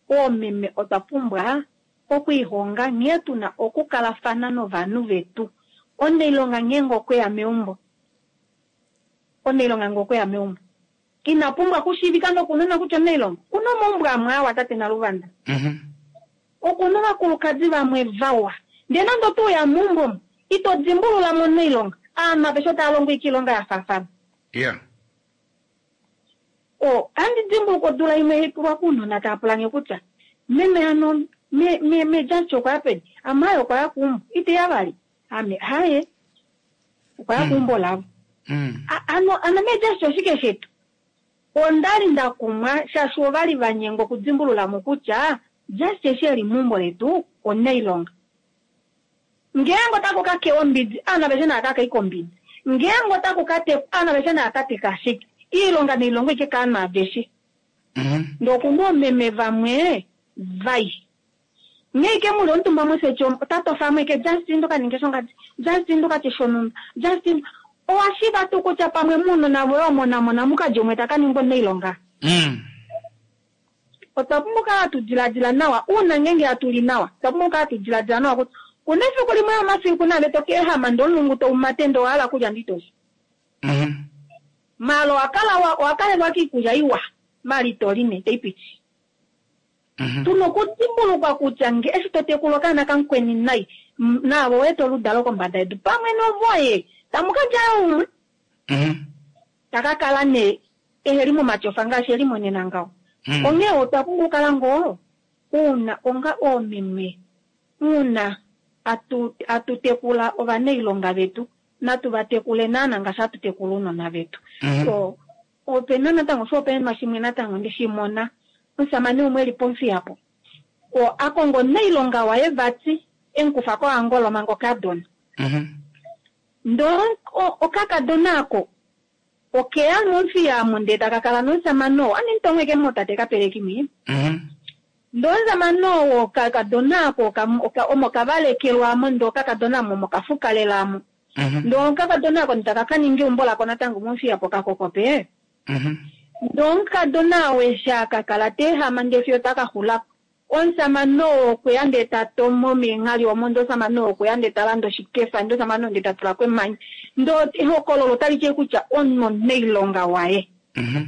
oomeme otwa pumbwa okwiihonga nghee tuna okukalafana novanhu vetu. Omunailonga ngeenge okweya meumbo omunailonga ngee okweya meumbo ina pumbwa okushiivika nokunona kutya omunailonga okuna omaumbo amwe awa tate Naluvanda okuna ovakulukadi vamwe vawa ndee nande otouya meumbo omo ito dimbululamo omunailonga ovanhu aveshe otava longo ashike oilonga yafaafana. O ohandi dimbuluka odula imwe haipulwa kounona tava pulange kutya meme hano me Jaci okwaya peni ame aye okwaya keumbo iteya vali ame haye okwaya keumbo lavo ano ano meJaci oshike shetu ondali ndakumwa shaashi ovali vanyengwa okudimbululamo kutya Jaci eshi eli meumbo letu omunailonga ngeenge otaku kakewa ombidi ovanhu aveshe nava kakei kombidi ngeenge otaku katekwa ovanhu aveshe nava kateka ashike iilonga nailongo ashike kaanhu aveshe ndee okuna oomeme vamwe Vai. Ngeike muli omutumba moseti omo ota tofa mo ike Justin ndoka ninge shongadi, Justin ndoka tye shonhumba, Justin owa shiiva tuu kutya pamwe muunona voye omo namo namukadji umwe ta ka ningwa omunailonga? Mm. Otwa pumbwa okukala hatu diladila nawa uuna ngeenge hatu li nawa. Otwa pumbwa okukala hatu diladila nawa kutya kuna efiku limwe lomafiku naave to ka ehama ndee omulungu tou mate ndee owa hala okulya ndee ito li. Mhm. Maala owa kala wa owa kalelwa kiikulya iwa maala ito li nee, taipiti. Mhm. Tuna okudimbulukwa kutya nge eshi to tekula okaana kamukweni nai, naave owe eta oludalo kombada yedu pamwe novoye, tamu ka dja yo umwe. Mhm. Ta ka kala nee eheli momatyofa ngaashi eli monena ngaho. Mm. Onghee otwa pumbwa okukala ngoo uuna onga oomeme, uuna atu atu tekula ovanailonga vetu, natu va tekule naana ngaashi hatu tekula ounona vetu. Mhm. So, opena natango oshihopaenenwa shimwe natango ndeshi mona, omusamane umwe eli pOmuthiyapo, oo a konga omunailonga waye vati emukufa koAngola manga okadona. Mhm. Ndoo okakadona ako okeya mOmuthiya omo ndee taka kala nomusamane oo, ame mutomwe ke motate kapeleki mwi. Mhm. Ndoo omusamane oo okakadona ako oka- oka- omo kavalekelwamo ndee okakadona omo mokafukalelamo. Mhm. Ndoo okakadona ako taka ka ninga eumbo lako natango mOmuthiya pokakokope. Mhm. Ndoo omukadona oo eshi akakala ta ehama ndee fiyo taka xulako. Omusamane oo okweya ndee ta tomo meenghali omo, ndee omusamane oo okweya ndee ta landa oshikefa, ndee omusamane oo ndee ta tula ko emanya. Ndee ehokololo otali ti kutya omunhu omunailonga waye. Mhm.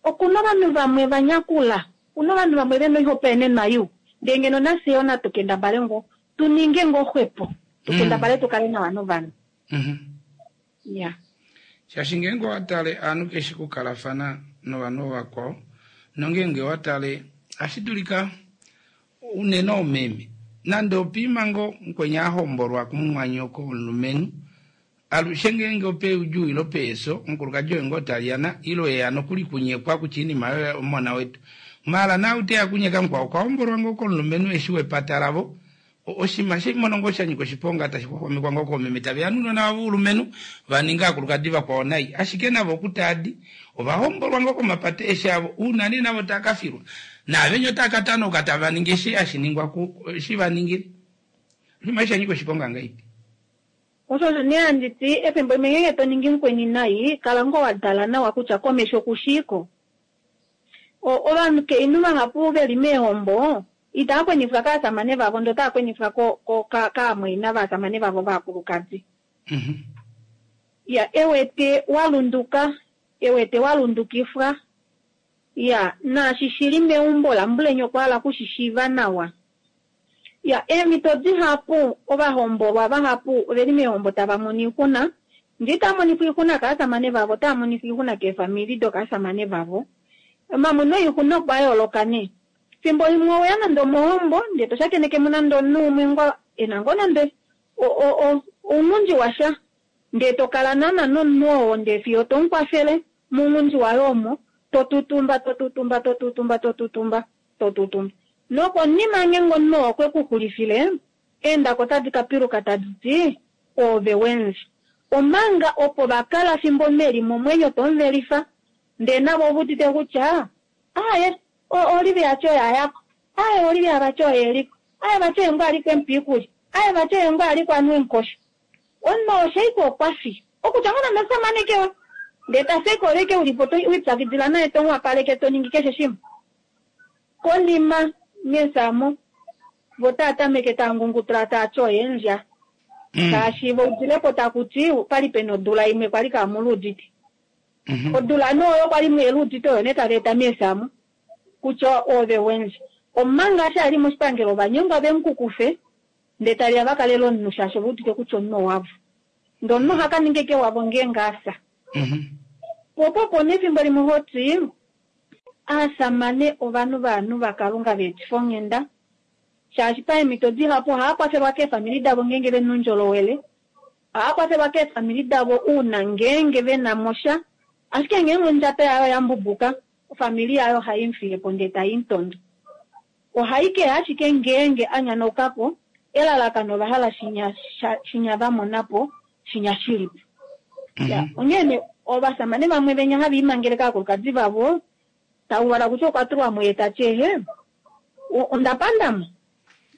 Okuna ovanhu vamwe va nyakula, okuna ovanhu vamwe vena oihopaenenwa iwa. Ndee ngeno nafye yoo natu kendabale ngoo, tu ninge ngoo xwepo, tu Mm. kendabale tu kale nawa novanhu. Mhm. Ya. Shaashi ngeenge owa tale aanhu keshi kukalafana novanhu vakwao, nongeenge owa tale ohashi dulika unene oomeme nande opiima ngoo mukweni a hombolwa kumumwanyoko womulumenhu, alushe ngeenge ope oudjuu ile ope efyo, omukulukadi oye ngoo taliyana ile eya nokuli kunyekwa kutya oinima oyo omona wetu. Maala naau teya kunyeka mukwao okwa hombolwa ngoo komulumenhu eshi wepata lavo, oshinima shimono ngoo sha nyika oshiponga tashi xwaxwamekwa ngoo koomeme taveya nounona vavo voulumenhu va ninga aakulukadi vakwao nai, ashike navo okutaadi ova hombolwa ngoo komapata eshi avo, uuna nee navo tava ka filwa naavenya otava ka tanauka tava ningi eshi hashi ningwa ku eshi va ningile. Oshinima eshi sha nyika oshiponga ngahelipi? Osho osho nee handi ti, efimbo limwe ngeenge to ningi mukweni nai, kala ngoo wa dala nawa kutya komesho okushiiko. Ovanhu kainhu vahapu veli meehombo itava kwenifwa kaasamane vavo ndee otava kwenifwa ko- ko- ka- kaamwaina vaasamane vavo vaakulukadi. Mhm. Ya, ewete wa lunduka, ewete wa lundukifwa. Ya, naashi shili meumbo lambulenye okwa hala okushishiiva nawa. Ya, eemhito dihapu ovahombolwa vahapu oveli meehombo tava mono oixuna, ndee itava monifwa oixuna kaasamane vavo, otava monifwa oixuna keefamili dokaasamane vavo. Omamono oixuna okwa yooloka nee. Fimbo limwe oweya nande omohombo ndee to shakeneke mo nande omunhu umwe ngoo ena ngoo nande o- o- o- ounghundi washa, ndee to kala naana nomunhu oo ndee fiyo to mukwafele mounghundi waye omo, to tutumba, to tutumba, to tutumba, to tutumba, to tutumba. Nokonima ngeenge omunhu oo okwe ku xulifile, eendako otadi ka piluka tadi ti oove wendje. Omanga opo va kala fimbo meli momwenyo to muvelifa, ndee navo ove udite kutya aaye, Olivia vati oye ayako, aaye Olivia vati oye eliko, aaye vati oye ngoo aliko emupa iikulya, aaye vati oye ngoo aliko anwa eemukosho. Omunhu oo sheike okwa fi, okutya ngoo nande omusamane kewe, ndee ta fi eke oleke ulipo to wipyakidila naye to muwapaleke to ningi keshe shimwe. Konima meesamo vo tava tameke tava ngungutula tava ti oye endja. Mm. Shaashi vo udilepo taku ti pali pena odula imwe kwali kaamuluudite. Mhm. Odula nee oyo kwali mweeluudite oyo nee tava eta meesamo kutya oove wendje. Omanga eshi ali moshipangelo ovanyengwa vemukukufe ndee taveya va kalele omunhu shaashi ove udite kutya omunhu owavo. Ndee omunhu oha ka ninga eke wavo ngeenge afya. Mhm. Po opo opo nee efimbo limwe hoti aasamane ovanhu vaanhu vakalunga veetifa onghenda, shaashi paemhito dihapu ohava kwafelwa keefamili davo ngeenge vena oundjolowele, ohava kwafelwa keefamili davo uuna ngeenge vena mosha, ashike ngeenge ondjato yayo oya mbubuka, ofamili yayo ohai mufiye po ndee tai mutondo. Ohai keya ashike ngeenge a nyanauka po, elalakano ova hala shinya, sha- shinya va mona po, shinya shilipo. Ya, Mhm. onghee nee ovasamane vamwe venya hava imangele kaakulukadi vavo, tauvala kutya okwa tulwa mo ye tati ehe, O- Onda pandamo.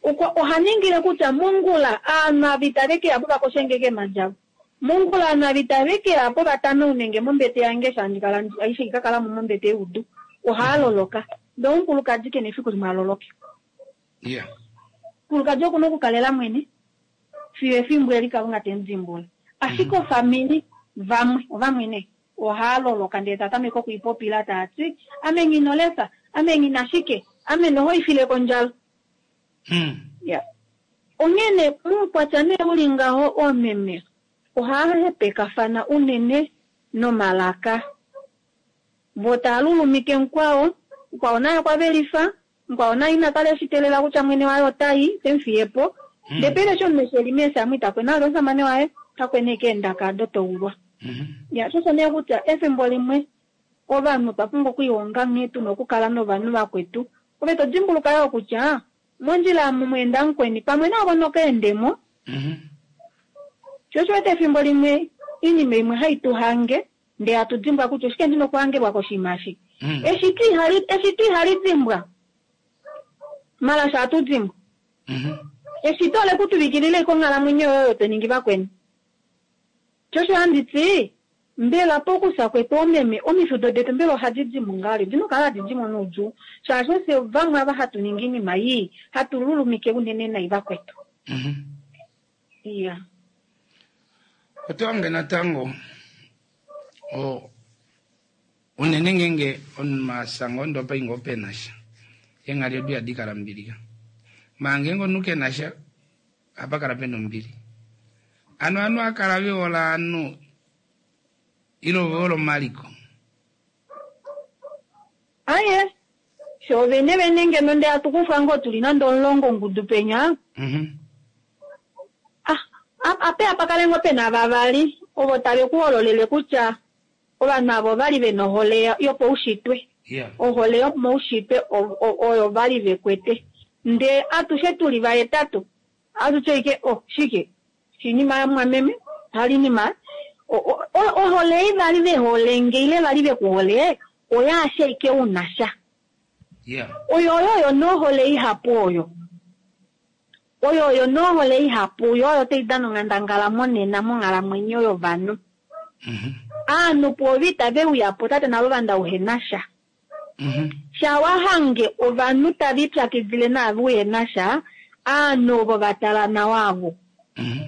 Okwa oha ningile kutya mongula aanhu ava itave ke ya po vakoshenge keemhadi avo. Mongula aanhu ava itave ke ya po vatanaune nge mombete yange eshi handi kala aishe ika kala mo mombete youdu. Ohaa loloka. Ndee omukulukadi ke na efiku limwe a loloke. Yeah. Omukulukadi oku na okukalela mwene fiyo efimbo eli Kalunga te mu dimbula. Ashike ofamili vamwe ovamwe nee ohaa loloka ndee ta tameke okwiipopila taa ti ame nghi lefa, ame nghi na shike, ame noho ifile kondjala. Mm. Ya. Onghene muukwatya nee uli ngaho oomeme ohaa hepekafana unene nomalaka. Vo taa lulumike mukwao, mukwao naye okwa velifa, mukwao naye ina kala eshiteelela kutya mwene waye otai te mu fiye po. Mm. Ndee pele eshi omunhu eshi eli meesamu ita kwena vali omushamane waye, ota kwena ashike eendaka ado toulwa. Mhm. Ya, sho osho nee kutya efimbo limwe ovanhu otwa pumbwa okwiihonga nghee tuna okukala novanhu vakwetu. Ove to dimbuluka yoo kutya mondjila omu mweenda mukweni pamwe navo nokaendemo. Mhm. Sho osho wete efimbo limwe iinima imwe hai tu hange ndee hatu dimbwa kutya oshike ndina okuhangelwa koshinima eshi. Mm. Eshito ihali eshito ihali dimbwa. Malasha ohatu dimbwa. Mhm. Eshito ole ku tuvikilila ashike onghalamwenyo yoye oyo to ningi vakweni. Sho osho handi ti mbela pokufya kwetu oomeme omifudo detu mbela ohadi di mo ngahelipi? Odina okukala hadi di mo noudjuu shaashi ofye vamwe ava hatu ningi oinima ii hatu lulumike unene nai vakwetu. Mhm. Iya. Oto hange natango o unene ngeenge omasanga ondopa inga pena sha eenghali odo ihadi kala mbilika maa ngeenge omunhu kena sha ohapa kala pena ombili. Ano ovanhu ohava kala vehole ovanhu ile ovehole omaliko. Aye, sho vene vene ngeno ndee hatu kufwa ngoo tuli nande omulongo ongudu penya Mhm. ah, ape apa kale ngoo pena vavali ovo tave ku hololele kutya ovanhu avo ovali vena ohole yopaushitwe. Yeah. Ohole yomaushitwe oyo vali vekwete. Ndee atushe tuli vahetatu atuti ashike oh shike shinima yamwameme halinima ohole ei vali vehole nge ile vali vekuhole oyaashe ashike una sha. Yeah. Oyo oyo nohole ihapu oyo. Oyo oyo nohole ihapu yo oyo tai dana onghandangala monena monghalamwenyo yovanhu. Mhm. Aanhu pwoove itave uya po tate naluvanda uhena sha. Mhm. Sha wahange ovanhu tava ipyakidile naave uhena sha, aanhu ovo va tala nawa avo. Mhm.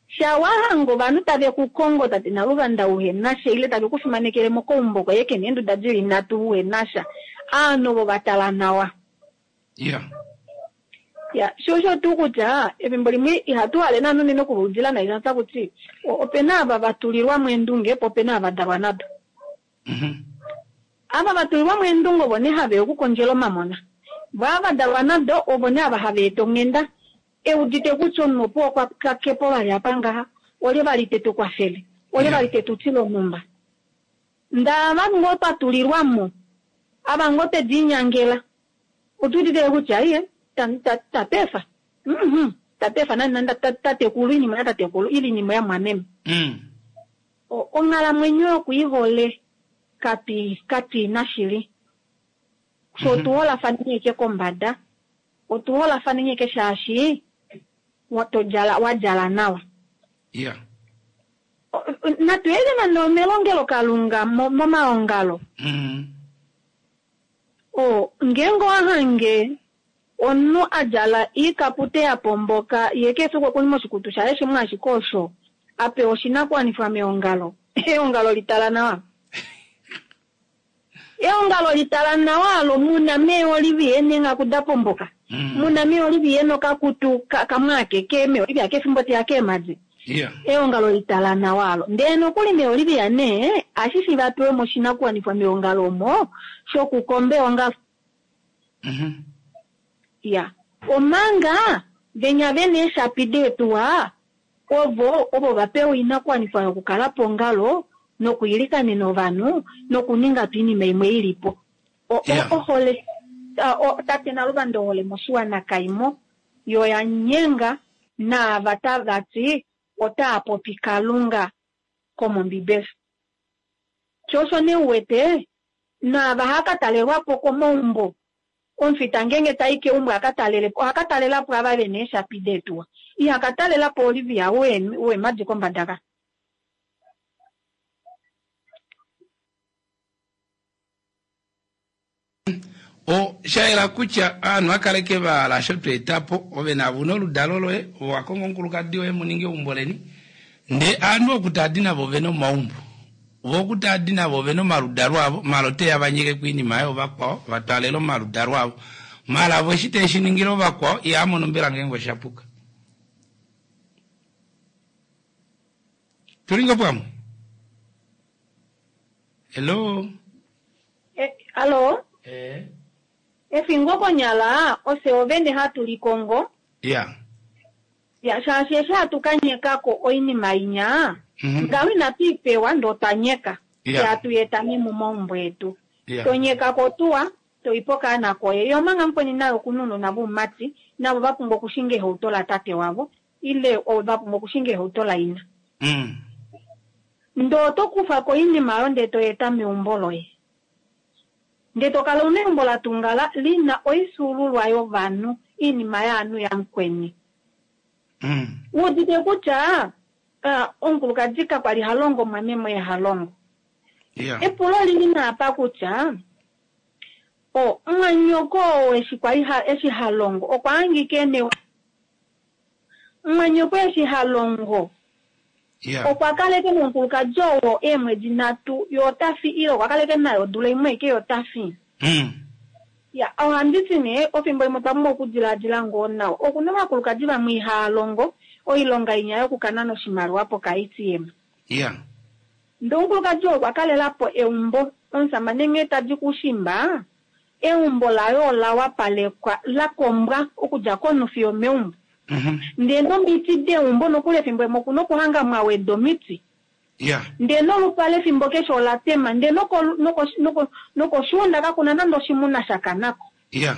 Sha wahange ovanhu tave ku kongo tate naluvanda uhena sha ile tave ku fimanekele mokaumbo koye kena eenduda dili nhatu uhena sha, aanhu ovo va tala nawa. Yeah. Ya, sho osho tuu kutya efimbo limwe ihatu hale naana unene okuvaudila nai shaashi takuti opena ava va tulilwa mo eendunge po opena ava dalwa nado. Mhm. Ava va tulilwa mo eendunge ovo nee haveya okukondjela omamona. Vo ava dalwa nado ovo nee ava hava eta onghenda eudite kutya omunhu opo okwa kakepo vali apa ngaha olye vali tetu kwafele olye vali tetu tile onhumba. Ndee ava ngoo twa tulilwa mo ava ngoo twediinyangela otuudite kutya iye tatefa mhm tatefa nani tatekulu iinima yatatekulu ili iinima yamwameme. Mm. Onghalamwenyo yokwiihole kati katiina shili. So otuholafane ashike kombada, otuholafane ashike shaashi todjala wadjala nawa. Yeah. Natu yele nande omelongelokalunga momaongalo. Mm. O ngeenge owahange omunhu a djala iikapute ya pomboka ye kefiku okuli moshikutu shaye shimwe ashike osho a pewa oshinakuwanifwa meongalo eongalo litala nawa. Eongalo litala nawa alo muna meeolivi neenghaku da pomboka. Mm. Muna meeolivi nokakutu kamwe akeke meeolivi akefimbo teya keemhadi. Yeah. Eongalo litala nawa alo. Ndee nokuli meeolivia nee ashishi va pewe moshinakuwanifwa meongalo omo shokukomba eongalo. Mhm. Ya. Omanga venya vena eeshapi deetuwa ovo ovo va pewa oinakuwanifwa yokukala pongalo nokwiilikanena ovanhu nokuninga po oinima imwe ilipo. O- Yeah. Ohole tate Naluvanda ohole moshiwana kaimo yo ya nyenga naava tava ti otaa popi Kalunga komombibeli. Sho osho nee uwete naava haka talelwapo komaumbo Omufita ngeenge tai keumbo a ka talele po, oha ka talela po ava vena eeshapi deetuwa. Iha ka talela po Olivia weemadi kombada ka. Osha yela kutya ovanhu vakaleke vahala osho tweetapo ove navo una oludalo loye ove wakonga omukulukadi woye muninge eumbo leni ndee ovanhu oku taadi navo ovena omaumbo vo oku taadi navo ovena omaludalo avo maala oteya vanyekeko oinima yoovakwao vatwaalele omaludalo avo maala vo eshi teeshiningile ovakwao ihamono mbela ngeenge oshapuka. Tuli ngoo pamwe? Hello? Eh, allo? Eh. Efingo konyala ofye ovene hatu likongo. Ya. Ya, shaashi eshi hatu ka nyekako oinima inya, Mhm. ngaho inatu i pewa ndoo twa nyeka. Ya. Hatu eta momaumbo etu. Ya. Tonyekako tuwa, toipa okaana koye. Ye omanga mukweni naye okuna ounona voumati, navo va pumbwa okushinga ehauto la tate wavo, ile va pumbwa okushinga ehauto la ina. Mm. Ndoo oto kufa ko oinima oyo ndee toeta meumbo loye. Ndee tokala una eumbo la tungala lina oisuululwa yovanhu, oinima yaanhu yamukweni. Mm. Uudite kutya uh, omukulukadi kakwali ha longo mwameme oye ha longo. Yeah. Epulo lili naapa kutya o mwanyoko oo eshi kwali ha, eshi ha longo okwa hangika ene mwanyoko eshi ha longo Yeah. okwa kaleke nomukulukadi oo eemwedi nhatu ye ota fi ile okwa kaleke naye odula imwe aike ye ota fi. Mm. Ya, ohandi ti nee ofimbo limwe otwa pumbwa okudilaadila ngoo nawa. Okuna ovakulukadi vamwe ihaa longo oilonga inya yokukanana oshimaliwa poka A T M. Yeah. Ndee omukulukadi oo okwa kalela po eumbo, omusamane nghee tadi kushimba, eumbo laye ola wapalekwa, la kombwa okudja konufi yomeumbo. Mhm. Ndee nomiti deumbo nokuli efimbo limwe okuna okuhanga mwa weda omiti. Yeah. Ndee nolupale efimbo keshe ola tema, ndee noko, noko, noko, nokoshuunda kakuna nande oshimuna sha kanako. Yeah.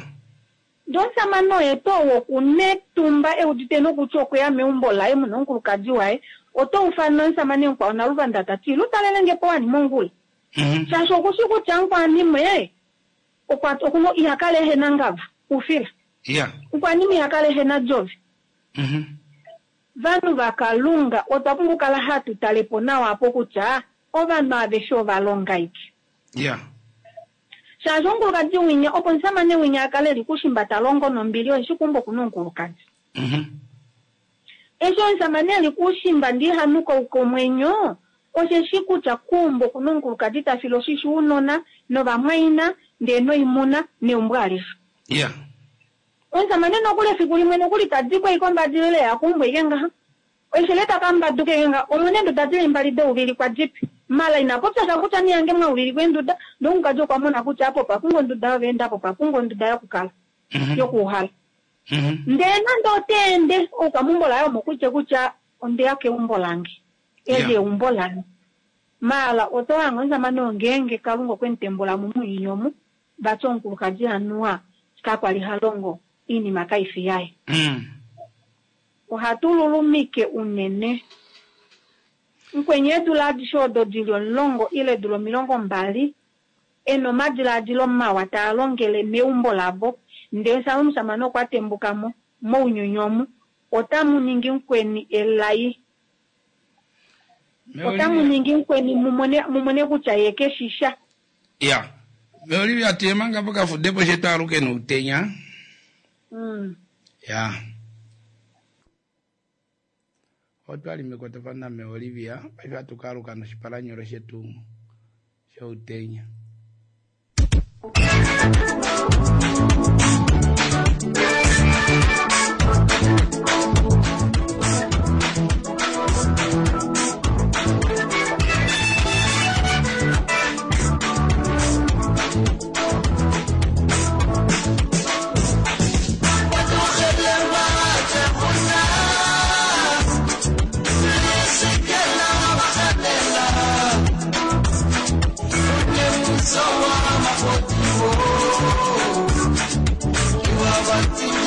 Ndee omusamane oye tuu ou okuna etumba eudite nokutya okweya meumbo laye muna omukulukadi waye, oto ufana omusamane mukwao Naluvanda ta ti, lutalele nge po wani mongula. Mhm. Shaashi okushi kutya mukwanimwe, okwa, okuno, iha kala ehe na ngava, ufila. Yeah. Mukwanimwe iha kala ehe na jovi. Mhm. Vanhu vakalunga otwa pumbwa okukala hatu tale po nawa apo kutya ovanhu aveshe ova longa ike. Yeah. Shaashi omukulukadi winya, opo omusamane winya a kale eli kushimba ta longo nombili, oye shi kumba okuna omukulukadi. Mhm. Eshi omusamane eli kushimba ndi hanuka komwenyo, osheshi kutya kumba okuna omukulukadi ta file oshisho ounona novamwaina, ndee noimuna neumbo alishe. Yeah. Omusamane nokuli efiku limwe nokuli tadi ko iko mbadilile ya kumbwa ike ngaha. Oishele taka mbaduke ike ngaha. Omwene enduda dili mbali douvilikwa dipi. Mala ina popya sha kutya niyange mwauvilikwa enduda, ndee omukaji okwa mona kutya apo opa pumbwa onduda yoveenda, apo opa pumbwa onduda yokukala, Mhm. yokuuhala. Mhm. Ndee nande oteende, oukamumbo laye omo kutya kutya ondeya keumbo lange. Eli Yeah. eumbo lange. Mala oto hanga omusamane oo ngeenge Kalunga okwe mu tembula mo mounyuni omu, vati omukulukadi anuwa kakwali ha longo iinima kaifi yaye. Mm. Ohatu lulumike unene. Mukweni eedula adishe odo dili omulongo ile eedula omilongo mbali, ena omadilaadilo mawa taa longele meumbo lavo, ndee sa omusamane okwa tembuka mo mounyuni omu, otamu ningi mukweni elai. Meolivia. Otamu ningi mukweni mumone, mumone kutya ye keshisha. Ya. Meolivia, tuye manga pokafudepo shetu aluke noutenya. Mm. Ya. Otwali mekwatafano naMeolivia, paife hatu ka aluka noshipalanyolo shetu shoutenya. Thank you.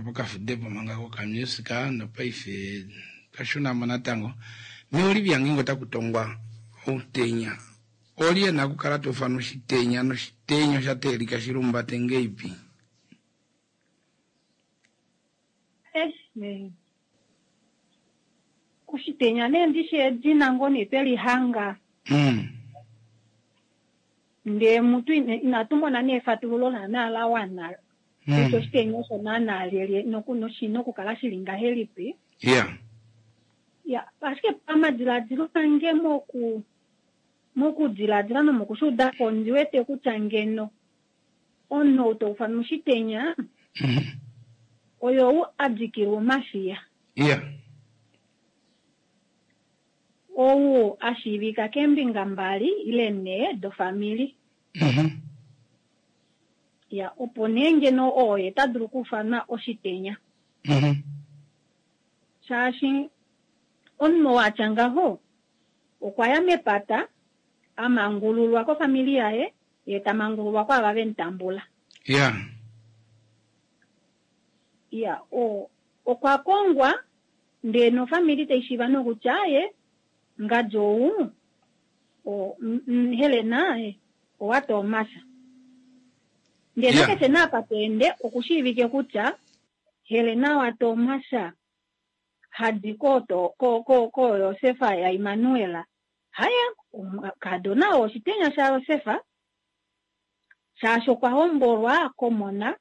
Pokafudepo manga kokamusika nopaife twashunamo natango meolivia ngingo takutongwa outenya oli ena okukala tofana oshitenya noshitenya osha teelika shilumbate ngeipi oshitenya nee ndishi edina ngoo nee twelihanga mm. ndee mutu inatumona nee efatululo naana la wana kutya oshitenya osho naana lyelye noshina okukala shili ngahelipi yeah ya ashike pamadiladilo ange moku mokudiladila nomokushuudako ondi wete kutya ngeno omunhu ou toufana oshitenya oyou a dikilwa omafiya yeah ou a shiivika keembinga mbali ile nhee dofamili mm ya opo nee ngeno oye ta dulu okuufanwa oshitenya. Mm-hmm. Shaashi omunhu watya ngaho okwa ya mepata a mangululwa kofamili yaye ye ta mangululwa kwaava vemutambula. Yeah. Ya, o okwa kongwa ndee nofamili taishiiva nokutya ye ngadi ou o Helena owa Tomasa. Ndee Yeah. nakeshe naapa toende okushiivike kutya Helena wa Tomasa hadi ko to ko ko ko Josefa ya Immanuel. Haya, kadona oshitenya sha Josefa shaashi okwa hombolwa komona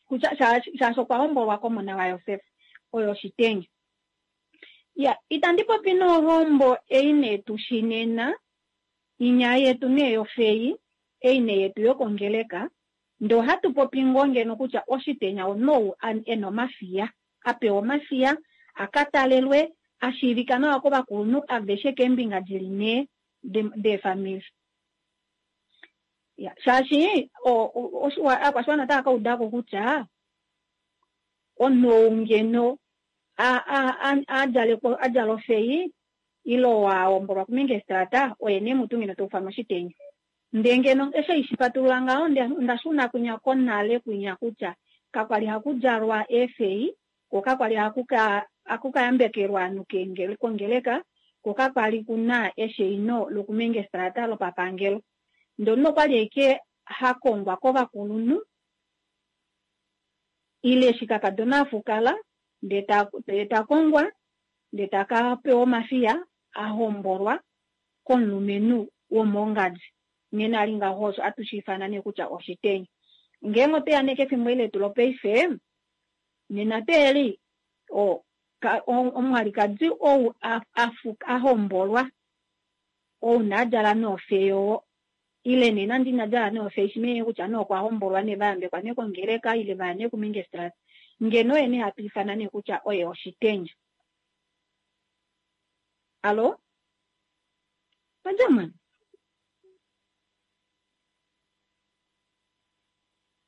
kutya shaashi okwa hombolwa komona wa Josefa oyo oshitenya. Ya, itandi popi nohombo ei nee tushinena inya yetu nee yofei ei nee yetu yokongeleka ndo hatu popi ngoo ngeno kutya oshitenya omunhu ena omafiya apewa omafiya akatalelwe ashiivika nawa kovakulunhu aveshe keembinga dili nhee deefamili. Ya, shaashi ovakwashiwana otava ka udako kutya omunhu ou ngeno adjala ofei ile wahombolwa kumengestrata oye nee mutu ngeno taufanwa oshitenya. Ndee ngeno eshi haishipatulula ngaho onda shuna kwinya konale kwinya kutya kakwali hakudjalwa eefei ko kakwali hakukayambekelwa ovanhu kongeleka ko kakwali kuna esheino lokumengestrata lopapangelo. Ndee omunhu okwali ashike hakongwa kovakulunhu ile eshi kakadona afukala ndee takongwa ndee takapewa omafiya ahombolwa komulumenhu womongadi. Nghene ali ngaho osho atushiifana nee kutya oshitenya. Ngeenge otweya nee kefimbo eli letu lopaife nena teeli omwalikadi ou ahombolwa ou naadjala nofeyo ile nee nande ina djala nofeyo shimenye kutya nee okwa hombolwa nee vayambekwa nee kongeleka ile vaya nee kumengestrata ngeno oye nee hatu ifana nee kutya oye oshitenya. Alo? Pajamani?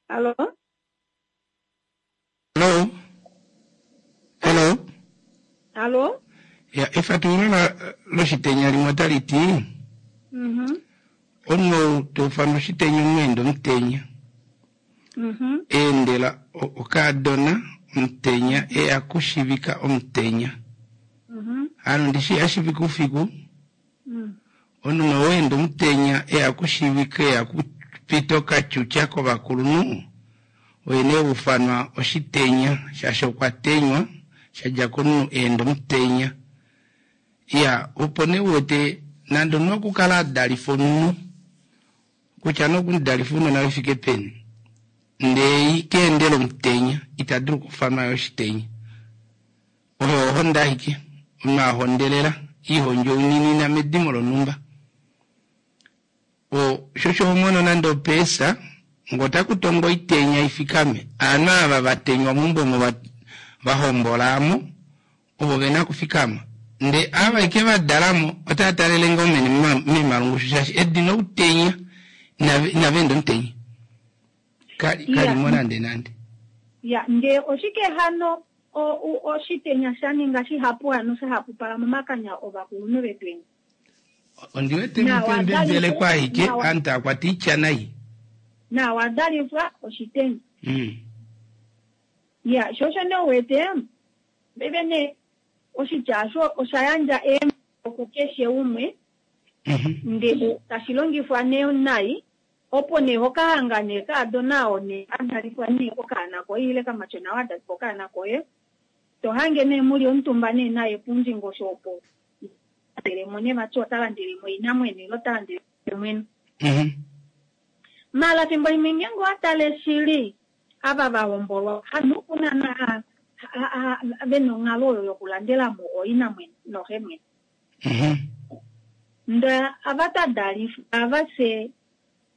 Alo? Hello? Hello? Alo? Ya, efatululo loshitenya limwe otali ti Mhm. omunhu taufanwa oshitenya omweenda omutenya. Mhm. Eendela okaadona omutenya eya kushivika omutenya. Mhm. Hano ndishi ashivika ufiku. Mm. Omunhu oweenda omutenya eya kushivika eya kupita okatyutya kovakulunhu oye nee ufanwa oshitenya shaashi okwa tenywa shadja komunhu eenda omutenya. Ya, opo nee uwete nande omunhu okukala adalifa omunhu kutya nokumudalifa ounona vefike peni ndee keendela omutenya ita dulu okufanwa yo oshitenya. Oyo ohonda ashike omunhu ahondelela ihondjouninina medimo lonhumba. O shosho homono nande opeesa ngotakutongo oitenya ifikame aanhu ava vatenywa meumbo omo vahombolamo ovo vena okufikama ndee ava ike vadalamo otava talele ngoo mene memalungushu shaashi edina outenya inava enda omutenya kalimo nande nande. Ya, ndee oshike hano oshitenya sha ninga shihapu hano shahapupala momakanya ovakulunhu vetweni? Ondiwete mutembembelekwa ashike aanhu taakwata oitya nai. Nawa dalifwa oshitenya. Mm. Ya, shosho nee uwete paife nee oshitya osho osha yandja eemhito kukeshe umwe ndee tashi longifwa nee nai opo nee hokahanga nee kaadona oo nee adalifwa nee okaana koye ile kamatyona oo adalifwa okaana koye tohange nee muli omutumba nee naye pundingosho opo landelemo nee vati ota landelemo oinamwenyo ile ota landelemo mwene. Mala fimbo limwe ngeenge owatale shili ava vahombolwa hanu kuna vena onghalo oyo yokulandelamo oinamwenyo noxemwene. Ndee ava tadalifa ava fye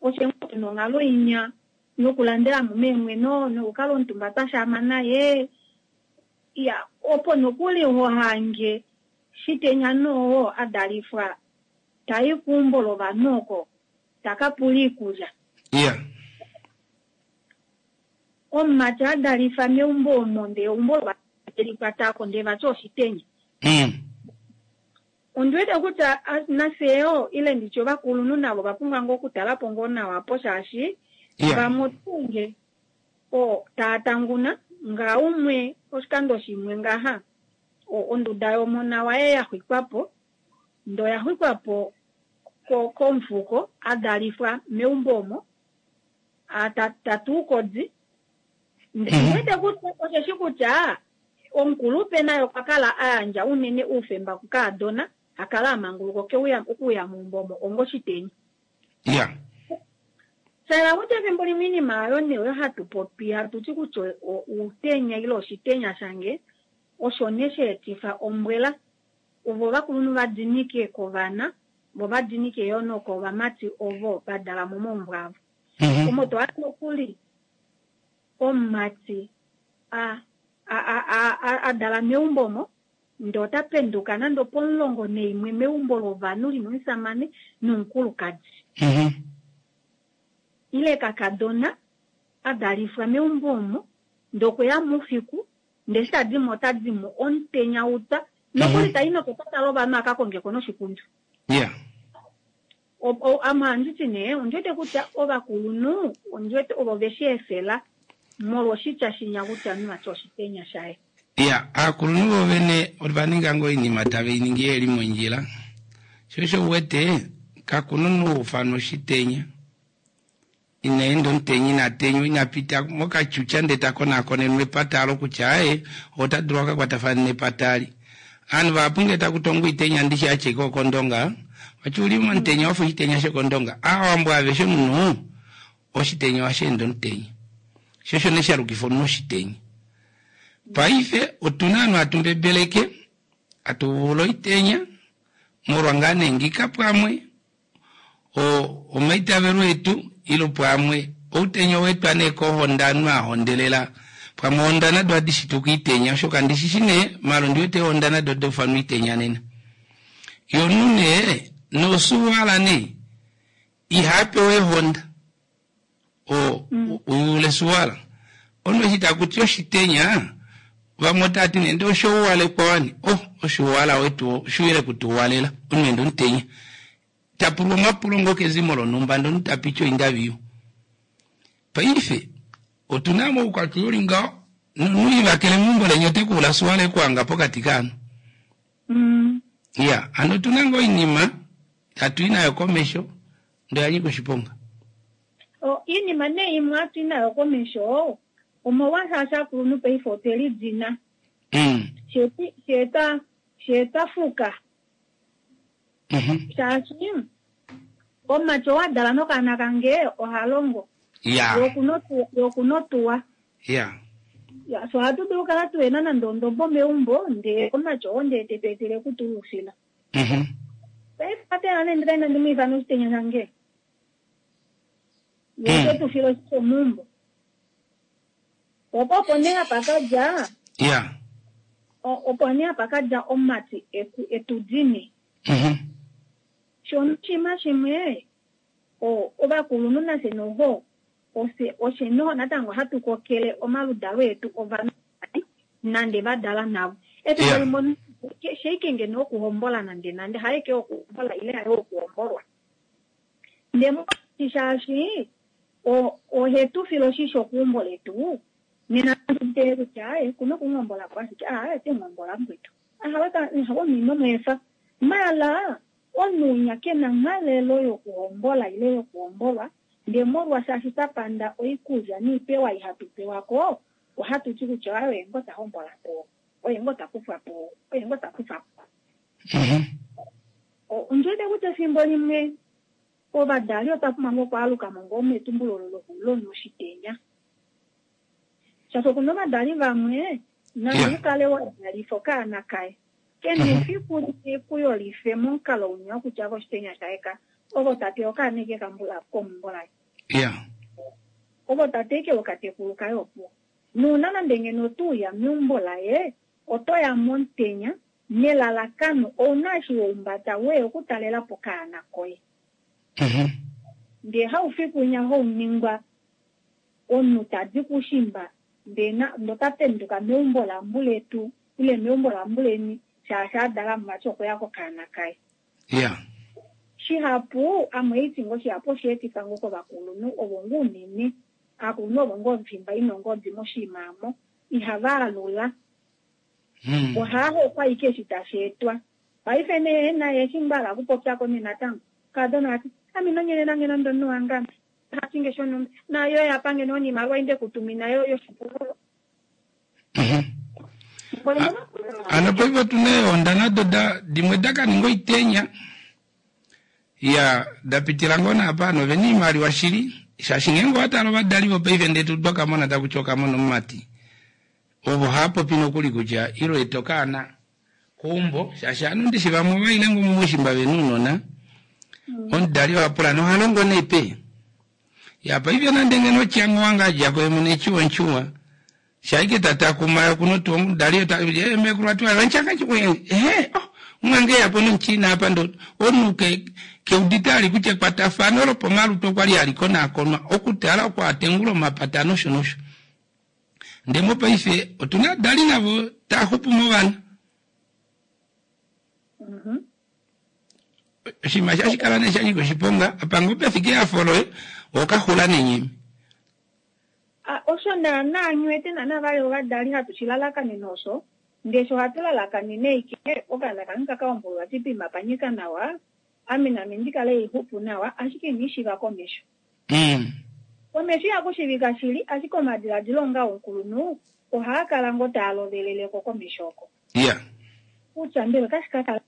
oshe tuna onghalo inya yokulandelamo meemweno nokukala omutumba twashaama naye. Ya, opo nokuli hohange shitenya noo adalifwa tayi keumbo lovanhu oko takapula iikulya. Yeah. Omumati adalifa meumbo omo ndee eumbo Telikwatako ndee vati oshitenya. Mm. Ondi wete kutya nafye ile nditye ovakulunhu navo va pumbwa ngoo okutala po ngoo nawa po shaashi Yeah. vamwe otunge o taatanguna nga umwe oshikando shimwe ngaha onduda yomona waye ya xwikwa po ndo ya xwikwa po komufuko adalifwa meumbo omo tatuukodi. Ndiwete kutya osheshi kutya omukulupe naye okwa kala a yandja unene oufemba kukaadona akala amanguluka okuuya meumbo omo ongoshitenya. Yeah. Sala kutya efimbo limwe iinima oyo nee oyo hatu popi hatu ti kutya outenya ile oshitenya shange osho nee sha etifa ombwela ovo ovakulunhu va dinike kovana vo va dinike yo nokovamati ovo va dala momaumbo avo. Omo to ati nokuli omumati a a a dala meumbo omo ndee ota penduka nande opomulongo naimwe meumbo lovanhu lina omusamane nomukulukadi. Ile kakadona a dalifwa meumbo omo ndee okweya moufiku ndee eshi tadimo otadimo omutenya utwa nokuli tai nokepata lovanhu aka kongeko noshikundu. Yeah. Ame ohanditi nee ondiwete kutya ovakulunhu ondiwete ovo veshi efela molwa oshitya shinya kutya vati oshitenya shaye. Ya, aakulunhu vovene ova ninga ngoo oinima tave i ningi yeli mondjila. Sho osho uwete kakuna omunhu oufanwa oshitenya. Ina enda omutenya ina tenywa ina pita mokatyutya ndee ta konakonenwa epata alo kutya aye ota dulu akakwatafane nepata ali. Ovanhu vahapu ngee taku tongwa oitenya ndishi ashike okondonga vati uli momutenya wafa oshitenya shokondonga. Aawambo aveshe omunhu oshitenya ohashi ende omutenya. Sho osho nee shalukifa omunhu oshitenya. Paife otuna ovanhu hatu mbebeleke hatu vula oitenya molwa ngaa nee ngika pamwe omaitavelo etu ile pamwe outenya oweetwa nee kohonda ovanhu ahondelela pamwe ohonda nado ohadi shituka oitenya oshoka ndishishi nee maala ondiwete ohonda nado dofanwa oitenya nena. Ye omunhu nee nosuwala nee ihapewa ehonda uyule suwala. Omunhu eshi takuti oshitenya vamwe otavati nee ndee oshouwalekwa wani oh oshuwala wetu oshuwile kutuwalela omunhu ende omutenya. Tapulwa omapulo ngoo kezimo lonhumba ndee omunhu tapiti oindaviyu. Paife otuna moukwatya uli ngaho nomunhu ivakele meumbo leni otekuula suwala ekuhanga pokati kaanhu. Iya, hano otuna ngoo oinima hatu i nayo komesho ndee oyanyika oshiponga. Iinima nee imwe hatu i nayo komesho omolwashaashi aakulunhu paife otwe lidina. Sheeta fuka. Shaashi omumati oo adala nokaana kange oha longo. Ya. Ye okuna otuwa. Ya. So ohatu dulu okukala tuhena nande ondombo meumbo ndee omumati oo ndee tetu etele okutulufila. Paife atela nee ndee inandi mu ifana oshitenya shange. Ye ote tu file oshisho meumbo. Opo opo nee hapa kadja. Ya. Opo nee hapa kadja omumati etu dine. Shono oshinima shimwe ovakulunhu nafye noho oshe noho natango hatu kokele omaludalo etu ovanhu nande va dala navo. Efimbo limwe sheike ngeno okuhombola nande nande haeke okuhombola ile haye okuhombolwa. Ndee molwaashi shaashi ohetu file oshisho keumbo letu nena tee kutya aye kuna okuhombola po ashike aye te muhombola mukwetu. Ahawe omunhu ino maala omunhu kena nghalelo yokuhombola ile yokuhombolwa ndee molwashaashi twa panda oikulya noipewa ihatu pewako ohatu ti kutya aye oye ngoo tahombola po oye ngoo takufwa po oye ngoo takufwa po. Ondiwete kutya efimbo limwe ovadali otwa pumbwa ngoo okwaalukamo ngoo metumbulo olo lonoshitenya. Shaashi okuna ovadali vamwe nande ukale wadalifa okaana kaye kena efiku ekuyolife momukalo unya wokutya ove oshitenya shaye ka ovo tate okaana eke kambula keumbo laye. Ya. Ovo tate eke okatekulu kaye opuwo. Nuuna nande ngeno otuuya meumbo laye otoya momutenya nelalakano ouna eshi woumbada weya okutalela po okaana koye. Ndee haufiku winya hauningwa omunhu tadi kushimba Ndee na ota penduka meumbo lambuletu ile meumbo lambuleni shaashi adala muvati okuya kokaana kaye. Yeah. Shihapu amweiti ngo shihapu osheetifa ngo kovakulunhu ovo ngoo unene aakulunhu ovo ngoo fimba ina ongodi moshimaamo ihava alula. Mm. Ohahokwa ike eshi tashi etwa. Paife nee naye eshi mbala okupopyako nee natango kadona ati ame nonyelela ngeno ndomunhu wange ame hatinge shonhumba nayo yapange nonimaliwa inde kutumina yo yoshipululo. Mhm. Ano paife otuna eehonda nado da dimwe dakaninga oitenya ya dapitila ngoo naapa novena oimaliwa shili shaashi ngeenge owatala ovadali vopaife ndee twakamona takuti okamona omumati ovo haapopi nokuli kutya ilo eta okaana keumbo shaashi ovanhu ndishi vamwe ovaile ngoo moushimba vena ounona omudali ohapula nohalongo nee pe ya paife nande ngeno otyango wange adjako yemwene echiwa shaike tatakuma kuno omudali mekulu ati ehe oh mwange yapo nomuchina apa ndo omunhu keudite ali kutya ekwatafano lopomalutu okwali halikonakonwa okutala oko atengula omapata nosho nosho ndee mopaife otuna ovadali navo taaxupu movana. Oshinima shashikala nee shanyika oshiponga apa ngoo pefike ehafo loye okaxula nenyeme. Osho naana nghiwete naana vali ovadali hatu shilalakanene osho ndee sho ohatu lalakanene ike okaana kange kakaombolwa tipima panyika nawa ame name ndikale haixupu nawa ashike ina komesho. Mm. Komesho ihakushivika shili ashike omadiladilo onga omukulunhu ohaa kala ngoo taa loveleleko komesho oko. Yeah. Kutya mbela otashi ka kala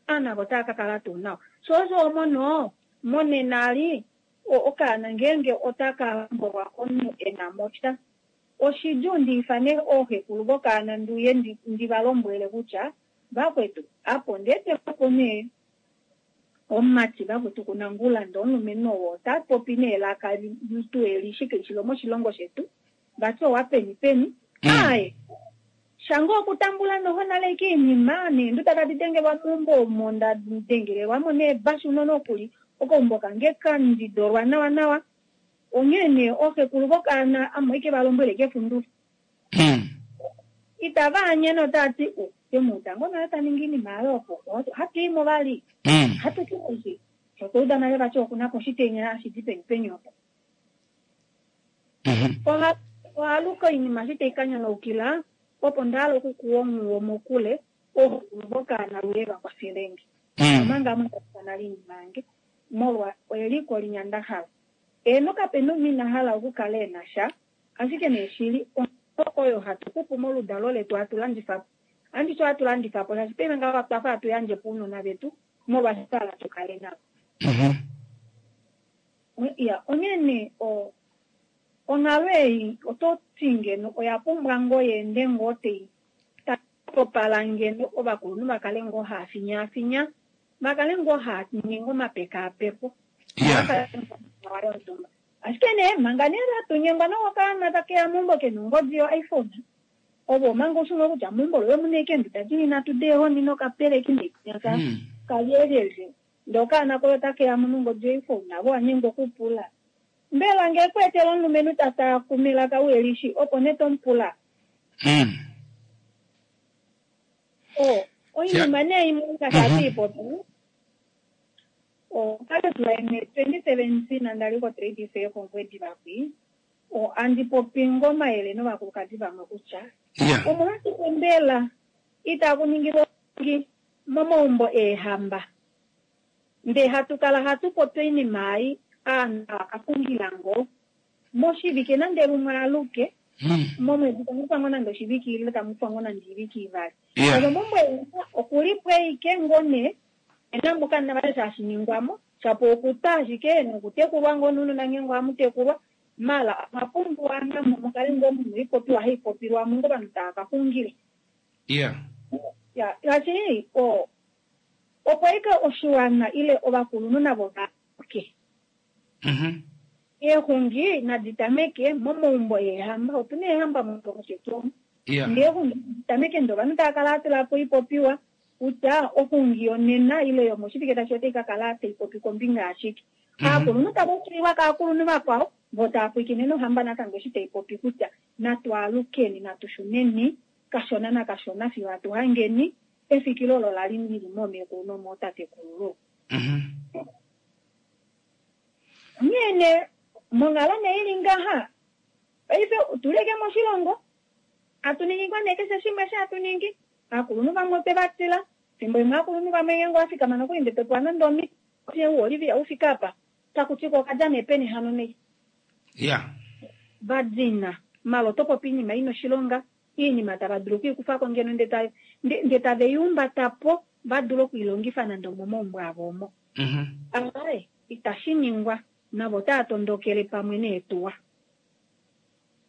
aana otaa ka kala tuu nawa. Sho osho omono monena ali okaana ngeenge otaka hombolwa komunhu ena mo sha oshidjuu ndiifane ooxekulu vokaana ndiuye ndivalombwele kutya vakwetu apo ndeetepo nee omumati vakwetu kuna ngulanda omulumenhu oo ota popi nee elaka tu elishi kelishi lomoshilongo shetu vati owa peni peni aaye shange okutambula noho nale ike oinima neenduda tadi dengelwa meumbo omo nda dengelelwamo neebashu nonokuli okaumbo kange kandidolwa nawa nawa onghee nee ooxekulu vokaana ame ike valombwele kefundula. Itava anye notaati temuuta ngoo nale taningi oinima yaye opo hatuimo vali hatuti shotwauda nale vati okunako oshitenya hashi di peni peni opo. Ohaluka oinima eshi tai kanyonaukila opo ndahala okukuwa onghuwo mokule ooxekulu vokaana luye vakwafelenge. Omanga ame ndakufa nale oinima yange molwa eliko linya ndahala. Eeno kapena omunhu ina hala okukala ena sha ashike nee shili oyo hatu xupu moludalo letu hatu landifa anditi ohatu landifa po shaashi paife ngaho twafa hatu yandje po ounona vetu molwaashi twahala tukale navo. Ya onghee nee onghalo ei oto ti ngeno oya pumbwa ngoo yeende ngoo tai topala ngeno ovakulunhu vakale ngoo haafinyaafinya vakale ngoo haaningi omapekaapeko. Ashike nee manga nee hatunyengwa nokaana takeya meumbo kena ongodi yo iPhone ovo omanga ushunga kutya meumbo loye omuna ashike eenduda dili nhatu deehoni nokapeleki neinyaka kalyelyelye ndee okaana koye otakeya mo nongodi yo iPhone navo wanyengwa okupula. Mbela ngee kweetela omulumenhu tatakume elaka uhelishi opo nee tomupula. O oinima nee imwe ngaashi hatuipopi okwali twenty seventeen ndali ko trade fair kOngwediva kwi andi popi ngoo omayele novakulukadi vamwe kutya omolwashike mbela itaku ningilwa momaumbo eehamba ndee hatu kala hatu popi oinima ei aanhu vakaxungila ngoo moshivike nande lumwe aluke momwedi tamufa ngoo nande oshivike ile tamufa ngoo nande oivike ivali. Omo meumbo okulipo ashike ngoo nee ena muka vali hashi ningwamo shapo okutwa ashike nokutekulwa ngoo nounona ngeenge ohamutekulwa mala omwa namo mukale ngoo muna oipopiwa haipopilwamo ngoo ovanhu tava kaxungila. Ya shaashi opo ashike oshiwana ile ovakulunhu navo vaambuke. Eexungi nadi tameke momaumbo eehamba otuna eehamba moshilongo shetu omu. Ndee eexungi nadi tameke ndee ovanhu tava kala hatulapo oipopiwa kutya oxungi yonena ile yomoshivike tashi otai kakala taipopi kombinga yashike. Aakulunhu tava ukulilwa kaakulunhu vakwao vo tava pwilikine nohamba natango eshi taipopi kutya Natu alukeni, natu shuneni kashona nakashona fiyo hatu hangeni efikilo olo lali lili moomekulu nomootatekulululwa. Mhm. Onghee nee monghalo nee ili ngaha paife otuleke moshilongo hatu ningi ngoo nee keshe shimwe eshi hatu ningi. Aakulunhu vamwe otwe va tila, fimbo limwe aakulunhu vamwe ngeenge owa fikama nokuli ndele to pewa nande omiti Olivia ufike apa taku ti ko okadja nee peni hano nei. Ya. Va dina malo oto popi oinima ina oshilonga, oinima tava dulu okwiikufako ngeno ndee tave i humbata po va dule okwiilongifa nande omomaumbo avo omo. Mhm. Aaye, itashi ningwa, navo otava tondokele pamwe neetuwa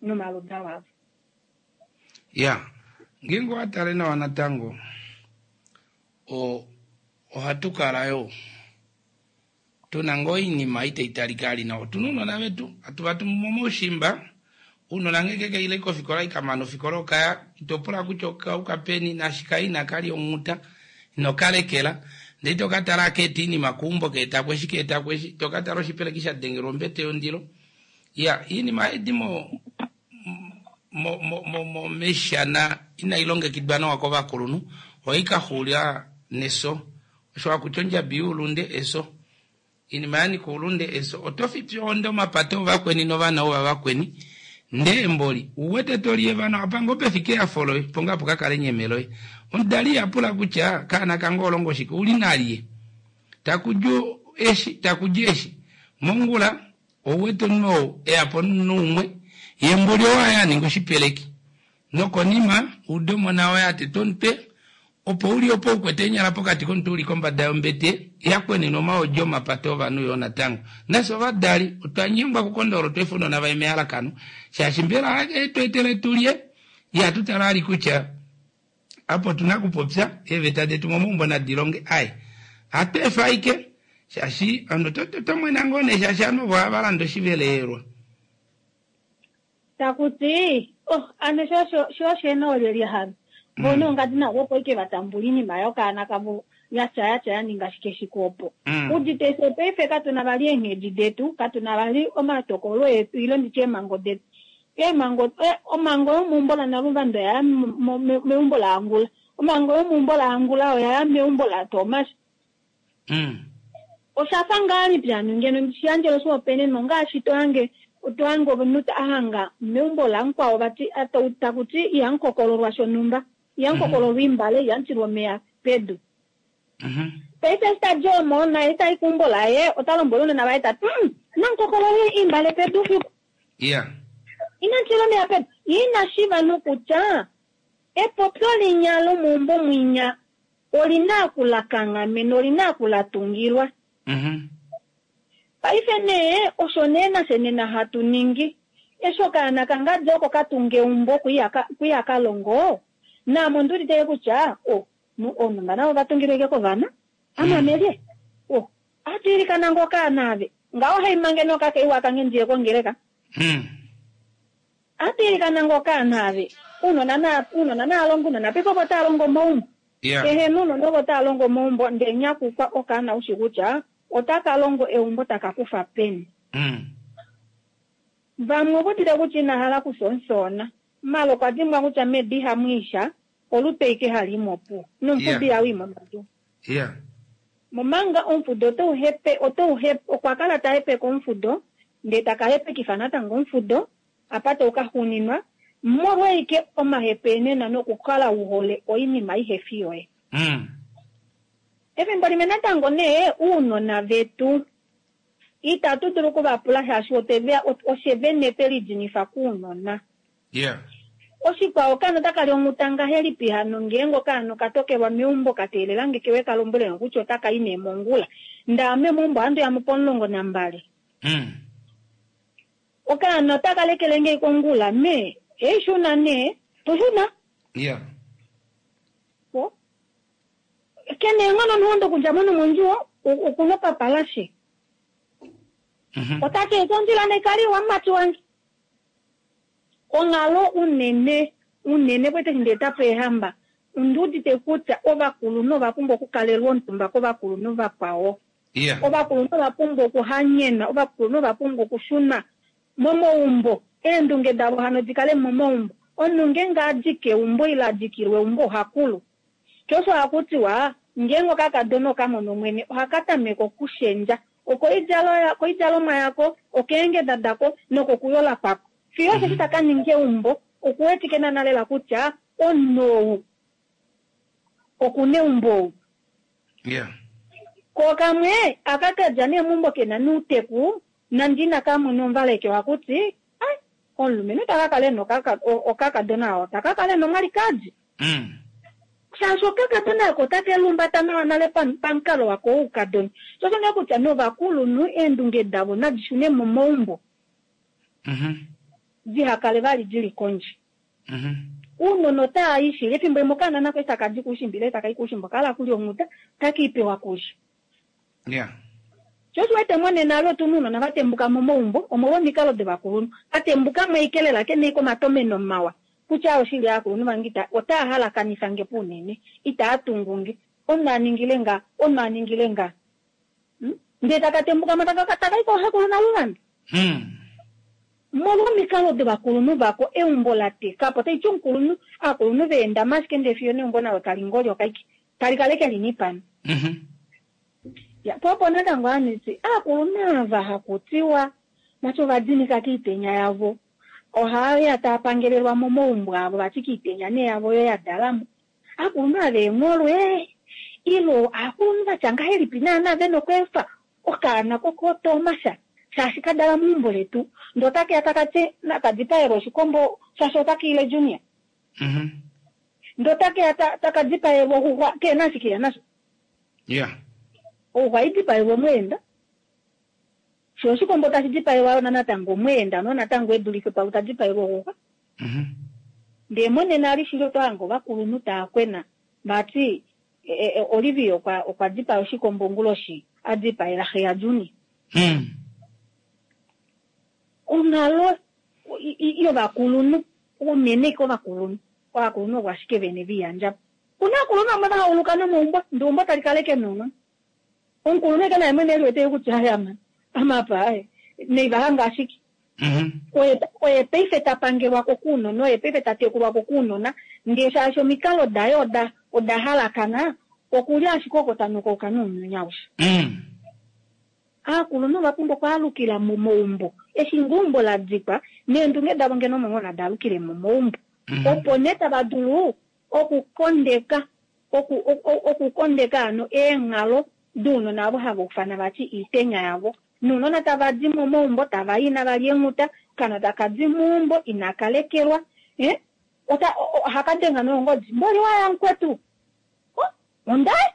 nomaludalo avo. Ya, ngeenge owa tale nawa natango o ohatu kala yo tuna ngoo oinima itai talika ali nawa. Otuna ounona vetu hatu va tumu momaushimba, ounona ngeenge kaile kofikola ikamana ofikola okaya, ito pula kutya okauka peni naashi kai inakali onghuta inokalekela, ndee ito katala keeta iinima keumbo keetako eshi keetako eshi, ito katala oshipeleki sha dengelwa ombete yondilo. Ya, iinima edi mo mo mo mo mo meshana inai longekidwa nawa kovakulunhu, ohai ka xula neso. Osho hakuti ondjabi youlunde eso. Iinima ya nyika oulunde eso. Oto fipi ohonde omapata ovakweni novana ovavakweni, ndee mboli uwete to li evano apa ngoo pefike ehafo loye, opo ngoo apo ka kala enyeme loye. Omudali iha pula kutya kaana kange olongo shike, uli nalye, taku di eshi taku di eshi. Mongula ouwete omunhu ou eya po nomunhu umwe, ye mboli owaye a ninga oshipeleki, nokonima ude omona woye a teta omutwe, opo uli opo ukwete eenyala pokati komuntu uli kombada yombete yakwenena omaodi omapata ovanhu yoo natango. Nafye ovadali otwa nyengwa kukondolola otwa efa ounona vaye mehalakano, shaashi mbela etu etele tulye, ihatu tala ali kutya apo otuna okupopya eeveta detu momaumbo nadi longe. Ai, ohatu efa ashike shaashi ovanhu oto mwena ngoo nee shaashi ovanhu ovo ohava landa oshiveleelwa. Takuti oh ano sho oshena olyelye hano vono ongadi navo opo ike vatambula iinima yokaana kavo yatya yatya ya ninga shike shike opo. Udite fye paife katuna vali eenghedi detu, katuna vali omatokolo etu ile nditye eemhango detu. Eemhango, omhango yomeumbo laNaluvando oya ya meumbo laAngula, omhango yomeumbo laAngula oya ya meumbo laTomas. Oshafa ngahelipi hano ngeno ndishiyandjele oshihopaenenwa ongaashi to hange to hange omunhu a hanga meumbo lamukwao vati takuti ihamukokololwa shonhumba, ihamukokololwa imbale, ihamutilwa omeya pedu. Paife eshi tadi omo naye tai keumbo laye ota lombwele ounona vaye tati namukokolole imbale pedu fiku. Yeah. Inamutilwa omeya pedu. Ye ina shiiva nokutya epopyo linya lomeumbo mwinya olina okulakanghamena, olina okulatungilwa. Mhm. Paife nee osho nee nafye nena hatu ningi. Eshi okaana kangadi oko katunga eumbo kwiya kalongo, naame ondi udite kutya o ounona navo vatungilwe ike kovana, amamelye o ohatu ilikana ngoo okaana ave ngaho haimange nokakeiwa kange ndiye kongeleka. Ohatu ilikana ngoo okaana ave ounona na ounona naalongo ounona paife ovo tava longo momaumbo. Yeah. Kehe nounona ovo tava longo momaumbo ndee nyakukwa okaana ushi kutya otaka longo eumbo taka kufa peni. Mm. Vamwe ovo udite kutya inahala okusonsona, malo okwa dimbwa kutya medu ihamu isha, olute ike hali i mopuwo nomufudo Yeah. ihau i momadu. Yeah. Momanga omufudo otau hepe otau hepe okwa kala ta hepeke omufudo ndee taka hepekifa natango omufudo apa tau ka xuuninwa molwa ike omahepenena nokukala uhole oinima ihefi yoye. Mm. Efimbo limwe natango nee ounona vetu itatu dulu okuvapula shaashi oshe vene twe lidinifa kounona. Yeah. Oshikwao okaana otaka li onghuta ngahelipi hano ngeenge okaana okatokelwa meumbo kateelela nge kewe kalombwele kutya otaka i nee mongula. Ndaame meumbo ohandi ya mo pomulongo nambali. Mm. Okaana otaka lekele nge kongula me ei shuna nee toshuna. Yeah. O kena eenghono nohondo okudja mo nomondjuwo okuna okapalashe. Mhm. Otati eti ondjila naikaliwa mumati wange. Onghalo unene unene kwete eshi ndeeta po eehamba ondi udite kutya ovakulunhu ova pumbwa okukalelwa omutumba kovakulunhu vakwao. Yeah. Ovakulunhu ova pumbwa okuhanyenwa, ovakulunhu ova pumbwa okushuna momaumbo Eendunge davo hano dikale momaumbo. Omunhu ngeenge adi keumbo ile adikilwa eumbo ohakulu. Sho osho hakutiwa ngeenge okakadona okamono omwene ohaka tameke okushendja okoidjalomwa yako, okeengeda dako nokokuyola kwako. Fiyo osheshi taka ninga eumbo okuwetike naana lela kutya omunhu ou okuna eumbo ou. Yeah. Ko kamwe aka kadja nee meumbo kena nouteku nande inaka mona omvaleke ohakuti ai omulumenhu taka kala ena okakadona oo taka kala ena omwalikadi. Mm. Shaashi okakadona ako otake lumbata nawa nale pamukalo wako woukadona. Sho osho nee kutya novakulunhu eendunge davo nadi shune momaumbo. Mhm. Dihakale vali dili kondje. Mhm. Uunona otaa i shili efimbo limwe okaana nako eshi taka di koushimba ile taka i koushimba okahala kulya onghuta otaka i pewa kulya. Yeah. Sho osho wete monena alo otuna ounona va tembuka momaumbo omolwa omikalo dovakulunhu. Va tembuka mo ashike lela kena ashike omatomeno mawa kutya oshili aakulunhu vange ita otaa halakanifa nge po unene itaa tungu nge omunhu a ningile nga omunhu a ningile nga. Hmm? Ndee taka tembuka mo taka taka i kooxekulu naluvanda. Mm. Molwa omikalo dovakulunhu vako eumbo la teka po taiti omukulunhu aakulunhu veendama ashike ndee fiyo neumbo nalo tali ngolyoka ashike tali kale ke linipana. Mhm. Ya, po opo natango aniti aakulunhu ava hakutiwa vati ovadinika kiitenya yavo ohaya taa pangelelwa momaumbo avo vati kiitenya nee yavo oyo ya dalamo. Aakulunhu ava eengholwe ilo aakulunhu vatya ngahelipi naana vena okweefa okaana kokootomasha shaashi kadala meumbo letu ndee otakeya taka ti nakadipaelwa oshikombo shaashi otaka ile junior. Mhm. Ndee otakeya taka dipaelwa oxuxwa kena ashike ya nasho. Yeah. Oxuxwa idipaelwa omweenda. Sho oshikombo tashi dipaelwa yona natango omweenda no natango edulife pau tadipaelwa oxuxwa. Mhm. Ndee monena alishili oto hange ovakulunhu taa kwena vati Olivia okwa okwa dipaya oshikombo onguloshi a dipaela xe yaJuni. Mm. Onghalo yovakulunhu unene kovakulunhu ovakulunhu ovo ashike vene viiyandja po. Kuna aakulunhu vamwe va hauluka nomaumbo ndee eumbo tali kala eke nounona. Omukulunhu eke naye mwene eliwete kutya aya amapa aye neiva hanga ashike. Mhm. Oye oye paife ta pangelwako kounona oye paife ta tekulwako kounona ndee shaashi omikalo daye oda oda halakana okuli ashike oko tanukauka nounyuni aushe. Mm. Aakulunhu ova pumbwa okwaalukila momaumbo eshi ngoo eumbo la dikwa neendunge davo ngeno omo ngoo nada alukile momaumbo. Mhm. Opo nee tava dulu okukondeka oku okukondeka hano eenghalo dounona ovo hava ufana vati iitenya yavo. Nounona tava di momaumbo tava i inava lya eenghuta, okaana taka di meumbo inaka lekelwa eh ota ohaka denga nongodi mboli waya mukwetu. Oh, ondai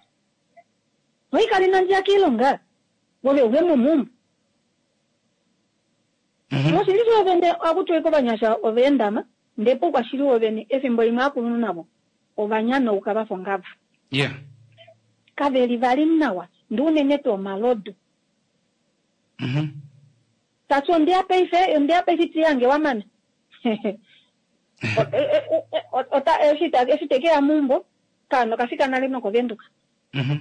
oikali nandjiya kiilonga ove uve momeumbo. Mhm. Moshili shoovene ohakutiwa kovanyasha oveendama ndee poukwashili woovene efimbo limwe aakulunhu navo ovanyanauka vafa ongava. Yeah. Kaveli vali nawa ndee unene tuu omalodu. Mhm. Tati ondeya paife ondeya paife iti yange wamana. Ota eshi eshi tekeya meumbo kaana okafika nale nokovenduka. Mhm.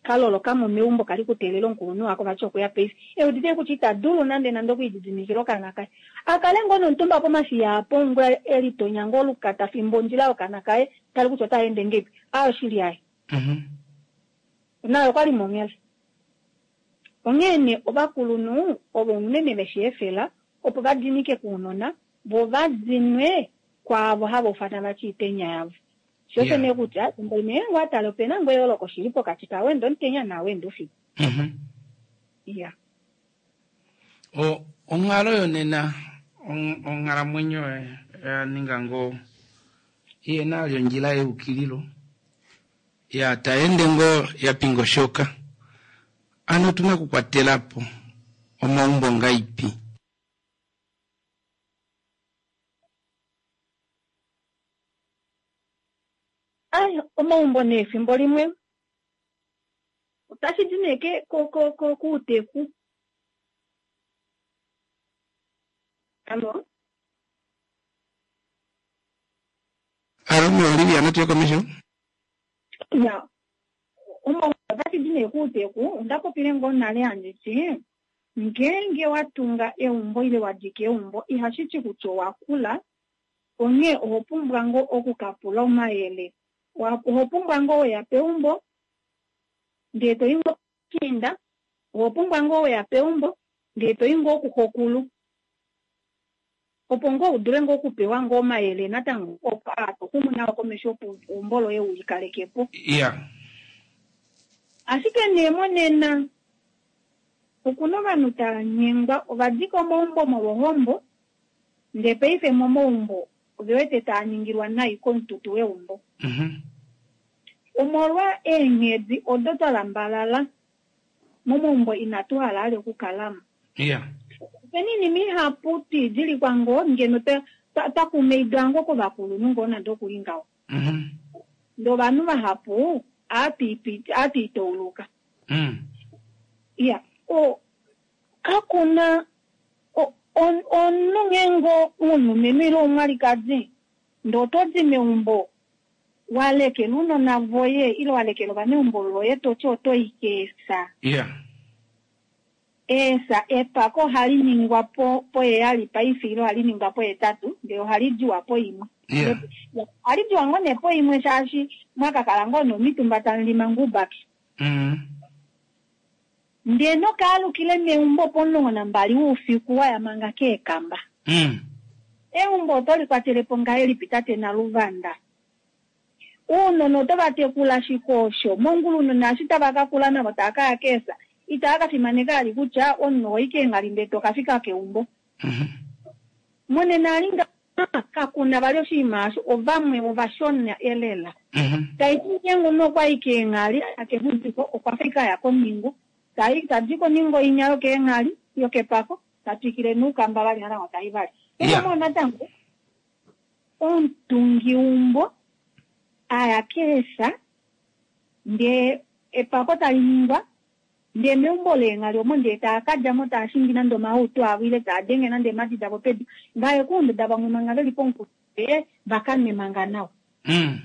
Kaloloka mo meumbo kali kuteelela omukulunhu wako vati okuya paife. Eudite kutya ita dulu nande nande okwiididimikila okaana kaye. Akale ngoo nomutumba pomashiya apo ngoo elitonya ngoo olukata fimbo ondjila yokaana kaye tali kutya ota ende ngeipi. Aayo oshili yaye. Mhm. Naye okwali monghela. Onghee nee ovakulunhu ovo unene veshi efela opo va dinike kounona vo va dinwe kwaavo hava ufana vati iitenya yavo. Sho osho Yeah. nee kutya efimbo limwe ngeenge owa tala opena ngoo eyooloko shili pokati kaawenda omutenya naawenda oufiku. Mhm. Iya. O onghalo yonena on- onghalamwenyo ya ninga ngoo iyena ali ondjila yeukililo ya taende ngoo ya pingoshoka. Ano otuna okukwatela po omaumbo ngaipi? Ai omaumbo nee efimbo limwe otashi di nee ke ko ko ko kuuteku. Allo? Alo me Olivia natuye komesho? Ya, omaumbo otashi di nee kuuteku onda popile ngoo nale handiti Ngeenge wa tunga eumbo ile wa dika eumbo ihashi ti kutya owa kula, onghee oho pumbwa ngoo okukapula omayele. Oho pumbwa ngoo weya peumbo ndee toyi ngoo kushiinda, oho pumbwa ngoo weya peumbo ndee toyi ngoo kuxokulu, opo ngoo udule ngoo okupewa ngoo omayele natango opo aa toxumu nao komesho opo eumbo loye ulikalekepo. Iya. Ashike nee monena okuna ovanhu tava nyengwa, ova dika omaumbo molwohombo, ndee paife momaumbo ove wete taa ningilwa nai komututu weumbo. Mhm. Omolwa eenghedi odo twa lambalala momaumbo inatu hala ale okukalamo. Iya. Opena oinima ihapu twiidilikwa ngoo ngeno twa kumaidwa ngoo kovakulunhu ngoo nande okuli ngaho. Mhm. Ndee ovanhu vahapu aatwiitouluka. Mm. Iya, o kakuna omunhu ngeenge umulumenhu ile omwalikadi ndee oto di meumbo walekela ounona voye ile walekela ovaneumbo loye toti oto i keesa. Iya. Eesa epako ohali ningwa po poheyali paife ile ohali ningwa pohetatu ndee ohali diwa poimwe. Iya. Ohali diwa ngoo nee poimwe shaashi mwakakala ngoo nomitumba tamulima ngubaki. Mm. Ndee nokaalukile meumbo pomulongo nambali woufiku waya manga keekamba. Mm. Eumbo oto likwatelepo ngahelipi tate Naluvanda? Ounona oto va tekula shike osho? Mongula ounona eshi tava ka kula navo tava kaya keesa, itava ka fimaneka ali kutya omunhu ohoyi keenghali ndee tokafika keumbo. Mhm. Monena ali ngaha kakuna vali oshinima osho, ovamwe ovashona elela. Mhm. Taiti ngeenge omunhu okwayi keenghali akefudiko okwa fika aya koningo, tayi tadi koningo inya yokeenghali yokepako, tatwikile noukamba vali natango tayi vali. Iya. Emo natango omutungiumbo aya keesa ndee epako tali ningwa ndee meumbo leenghali omo ndee taa kadjamo taa shingi nande omahauto avo ile taa denge nande eemhadi davo pedu, vaye kuunduda vamwe manga veli pomukulu vakanwe manga nawa. Mm.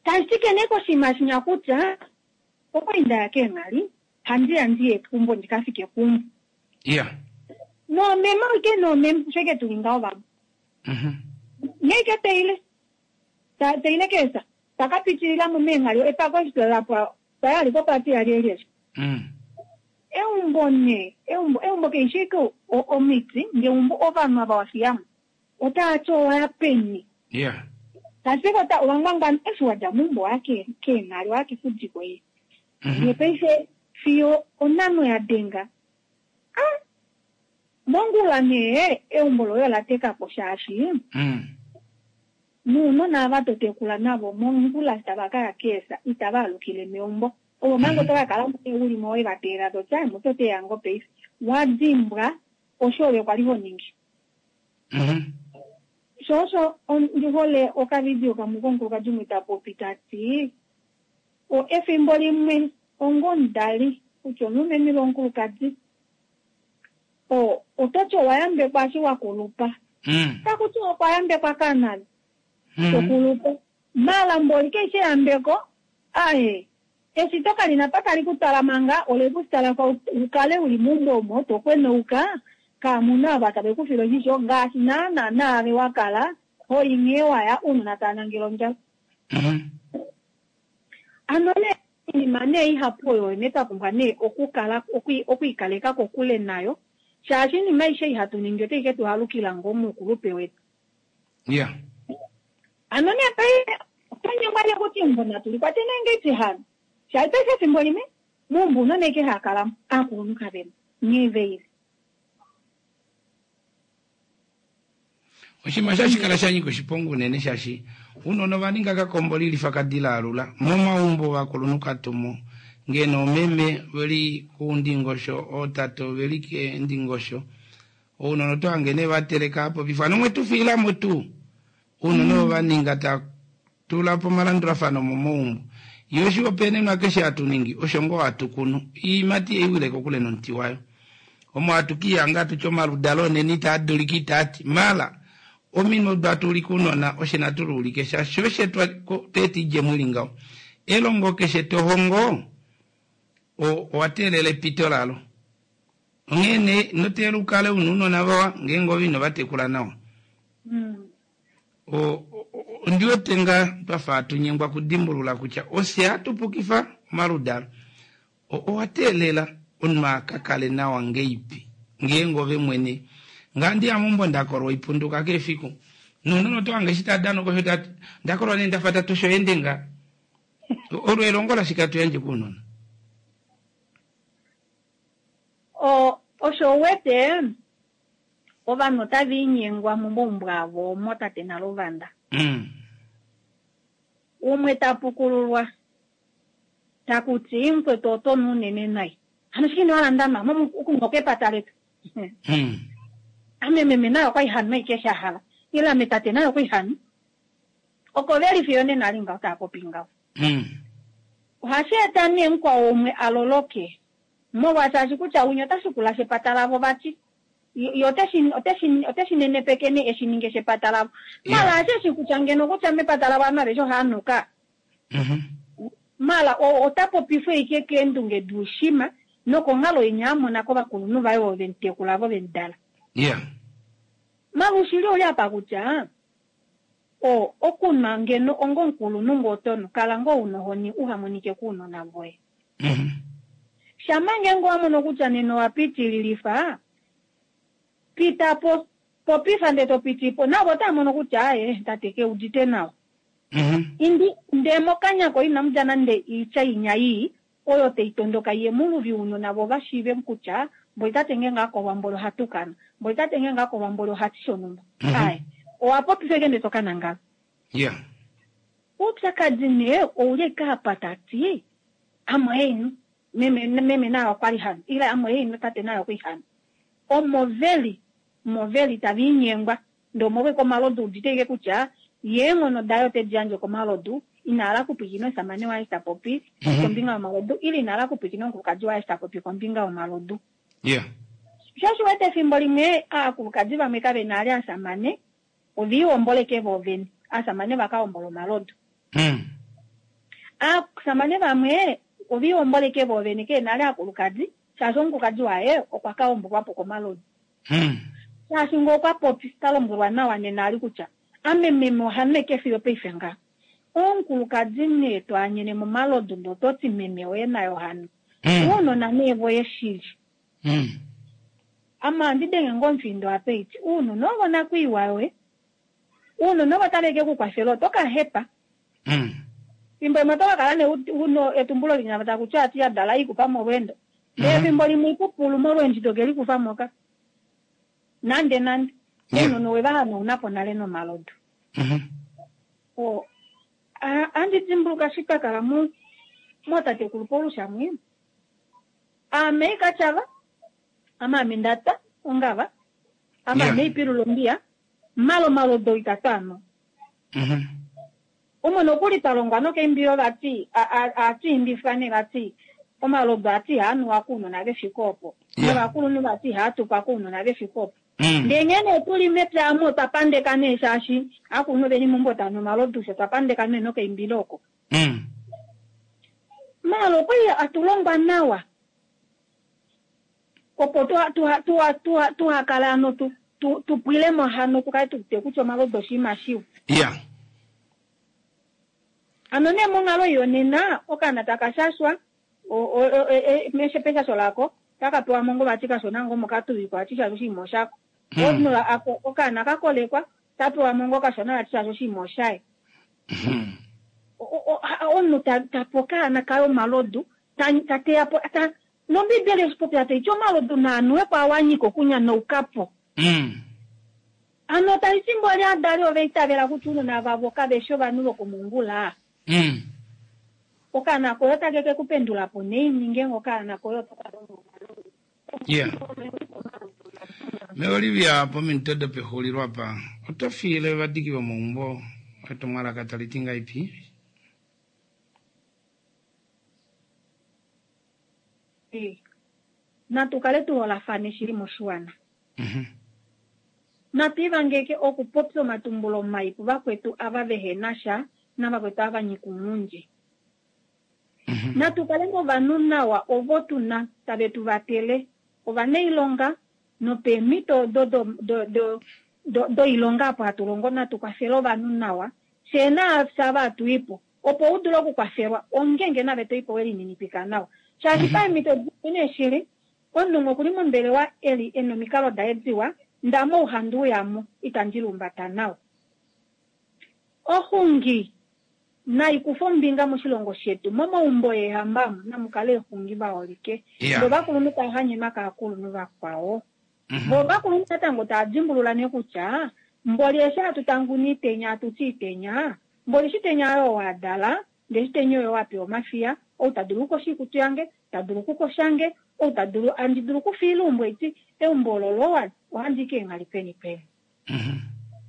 Tashike nee koshinima shinya kutya okwali ndaya keenghali handiya ndiye keumbo ndikafike keumbo. Iya. Noomeme ike noomeme osho ike tuli ngaho vamwe. Mhm. Nghee ike teile teile keesa takapitililamo meenghali epako eshi lapwa tayali kopati yali eli Mm. Eumbo nee eumbo eumbo kaishi ike omiti ngeumbo ovanhu ava wafiyamo otaati owaya peni. Iya. Tashike ota owangwangwana eshi wadja meumbo waya keenghali waya kefudiko ye. Mhm. Ndee paife fiyo onhano ya denga. Ah! Mongula nee eumbo loye ola teka po shaashi Mm. nounona ava totekula navo mongula tava kaya keesa itava alukile meumbo. Ovo manga oto kakala uli mo we vateelela toti ai mutoteya ngoo paife. Wadimbwa osho ove kwali ho ningi. Mhm. Sho osho ndi hole okavidio kamwe komukulukadi umwe ta popi tati o efimbo limwe ongomudali kutya omulumenhu ile omukulukadi o ototi owa yambekwa eshi wa kulupa. Mm. Takuti okwa yambekwa kanani Mm. tokulupa. Mala mboli kaishi eyambeko aye eshito kalina pa tali kutala manga ole kutala kwa ukale uli meumbo omo tokwenouka kamuna ava tave kufile oshisho ngaashi naana naave wakala hoyi nghee waya ounona tava nangele ondjala. Mhm. Ano nee oinima nee ihapu oyo nee twa pumbwa nee okukala okwiikaleka kokule nayo shaashi oinima aishe ihatu ningi otai ke tu halukila ngoo moukulupe wetu. Iya. Ano nee paife otwa nyengwa nee kuti eumbo natu likwate nee ngeipi hano shaashi paife efimbo limwe meumbo ounona ashike hava kalamo aakulunhu kavemo nghee veile. Oshinima shashi kala sha nyika oshiponga unene shaashi ounona ova ninga kakombo lilifa kadila alula momaumbo ovakulunhu katumo ngeno omeme veli kuundingosho ootate oveli keendingosho ounona oto hange nee vateleka apo pifano mwe tu fiilamo tuu ounona ovo va ninga ta tula po omalandulafano momaumbo yo oshihopaenenwa keshe hatu ningi osho ngoo hatu kunu iimati eiwile kokule nomuti wayo omo hatu kiihanga tutye omaludalo onene itaa dulika itaati mala ominwe odo hatu ulike ounona oshe natu luulike shaashi oshe tweeta idjemo ili ngaho elongo keshe tohongo owa teelela epito lalo. Onghee nee ino teelela ukale una ounona vawa ngeenge ove ino vatekula nawa. Mm. O- o- o- ondi wete nga twafa hatu nyengwa okudimbulula kutya ofye hatu pukifa omaludalo. O- owa teelela omunhu a ka kale nawa ngeipi ngeenge ove mwene ngandi ya meumbo ndakolwa oipunduka keshe efiku nounona oto hange eshi tadana osho tati ndakolwa nee ndafa tatosha oende nga olo elongo lashike hatu yandje kounona. O osho uwete ovanhu otava inyengwa momaumbo avo omo tate Nalovanda. Mm. Umwe tapukululwa takuti mukwetu oto nu unene nai. Hano shike ino hala ndama mo okunwa kepata letu. Mm. Ame meme naye okwali hanu ashike sha hala. Ile ame tate naye okwali hanu. Oko veli fiyo nena ali ngaho tava popi ngaho. Mm. Ohashi eta nee mukwao umwe a loloke. Molwaashi kutya winya ota shikula shepata lavo vati. Ye oteshi oteshi oteshi nenepeke nee eshi ninge shepata lavo. Yeah. Mala asheshi kutya ngeno kutya mepata lavo ovanhu aveshe ohava nuka. Mhm. Mala o- ota popifwa ashike keendunge duushima nokonghalo inya amona kovakulunhu vaye ovo vemutekula vo vemudala. Yeah. Mala oushili ouli apa kutya o okunwa ngeno onga omukulunhu ngoo otonu kala ngoo una ohoni uhamonike kounona voye. Mhm. Shamha ngeenge owa mono kutya nena owa pitililifa pita po popifa ndee to pitipo navo otava mono kutya aaye tate keudite nawa. Mhm. Indi ndee mokanya koye inamu dja nande oitya inya ii oyo tai tondoka iye muluvi ounona vo vashiive kutya mboli tate ngeenge akolwa mboli ohatukana mboli tate ngeenge akolwa mboli ohati shonhumba. Mhm. Aaye owa popifa ashike ndee tokanangala. Yeah. Oupyakadi nee ouli ashike apa tati ame ohainu meme meme naye okwali hanu ile ame ohainu tate naye okwali hanu. Omo veli omo veli tava inyengwa ndee omolwa omalodu udite ashike kutya ye eenghono daye otedi yandje komalodu ina hala okupwilikina omushamane waye eshi ta popi Mhm. kombinga yomalodu ile ina hala okupwilikina omukulukadi waye eshi ta popi kombinga yomalodu. Yeah. Sho osho uwete efimbo limwe aakulukadi vamwe kavena ali aashamane oviihomboleke voovene aashamane vakahombola omalodu. Mm. Aasamane vamwe oviihomboleke voovene keena ali aakulukadi shaashi omukulukadi waye okwa kahombolwapo komalodu. Mm. Shaashi ngee okwa popi ta lombwelwa nawa nena ali kutya ame meme ohanu eke fiyo paife nga. Omukulukadi nee twaanyene momalodu ndee ototi meme oye naye ohanu. Mm. Uunona nee voye shili. Mm. Ame ohandi denge ngoo omufindo apa eti uunona ovo onakwiiwa yoye. Uunona ovo tave ke kukwafela oto ka hepa. Mm. Fimbo limwe oto ka kala nee una etumbulo linya takuti ati yadala ikupa molweendo. Ndee Mhm. efimbo limwe ikupulu molweendo ito ke likufa moka. Nande nande. Yeah. Ounona owe va hanaunapo nale nomalodu. Mhm. O a- andi dimbuluka eshi twa kala mo mootatekulu Paulus amwe. Ame ikatyava, ame ame ndatwa ongava, ame Yeah. ame ipilula ombiya, malo omalodu itatu ano. Mhm. Umwe nokuli twa longwa nokeimbilo vati atu imbifwa nee vati omalodu ati ihaanuwa kounona vefike opo. Yeah. Novakulunhu vati ihaatukwa kounona vefike opo. Mm. Ndee nghee nee tuli mepya amu otwa pandeka nee shaashi aakulunhu veli meumbo tava nu omalodu fye otwa pandeka nee nokeimbilo oko. Mm. Maala okwali atulongwa nawa opo tuha tuha tuha tuha tuhakale hano tu tu tupwilemo hano tukale tuwete kutya omalodu oshinima shiwa. Yeah. Hano nee monghalo yonena okaana taka shashwa o- o- o- e- e- peshasho lako taka pewa mo ngoo vati kashona ngoo mokatuvikwa vati shaashi oshinima oshako. Mm. Omunhu ako- okaana kakolekwa tapewa mo ngoo kashona vati shaashi oshinima oshaye. Mhm. O- o- a- omunhu ta tape okaana kaye omalodu ta- ta teya po ta nombibeli eshipopya taiti omalodu naanuwe po awanyika okunyanaukako. Mm. Hano taliti mboli adali ova itavela kutya ounona vavo kaveshi ovanhu vokomongula. Mm. Okaana koye otake ke kupendula po naini ngeenge okaana koye otaka longo omalodu. Yeah. Me Olivia pominute dopexulilo apa oto fiile ovadiki vomeumbo etumwalaka tali ti ngaipi? Natu kale tuholafane shili moshiwana. Mhm. Natu ivangeke okupopya omatumbulo mai kuvakwetu ava vehena sha navakwetu ava nyika ounghundi. Mhm. Natu kale novanhu nawa ovo tuna tave tu vatele ovanailonga nopeemhito odo doilonga apo hatu longo natu kwafele ovanhu nawa fyee naafye ava hatu ipo opo u dule okukwafelwa ongenge nave to ipo welininipika nawa shaashi paemhito dimwe shili omunhu okuli mombelewa eli ena omikalo daye diwa ndamo ouhandu uyamo itandi lumbata nawa. Oxungi naikufa ombinga moshilongo shetu momaumbo eehamba namukale exungi vaholike vo vakulunhu tava hanyenwa kaakulunhu vakwao vo vakulunhu natango tava dimbulula nee kutya mboli eshi hatu tanguna itenya hatuti itenya mboli shitenya oyo wadala ndee shitenya oyo wapewa omafiya ou tadulu okukosha oikutu yange tadulu okukoshange ou tadulu andi dulu okufiila eumbo eti eumbo olo lowa ohandi keenghali peni peni.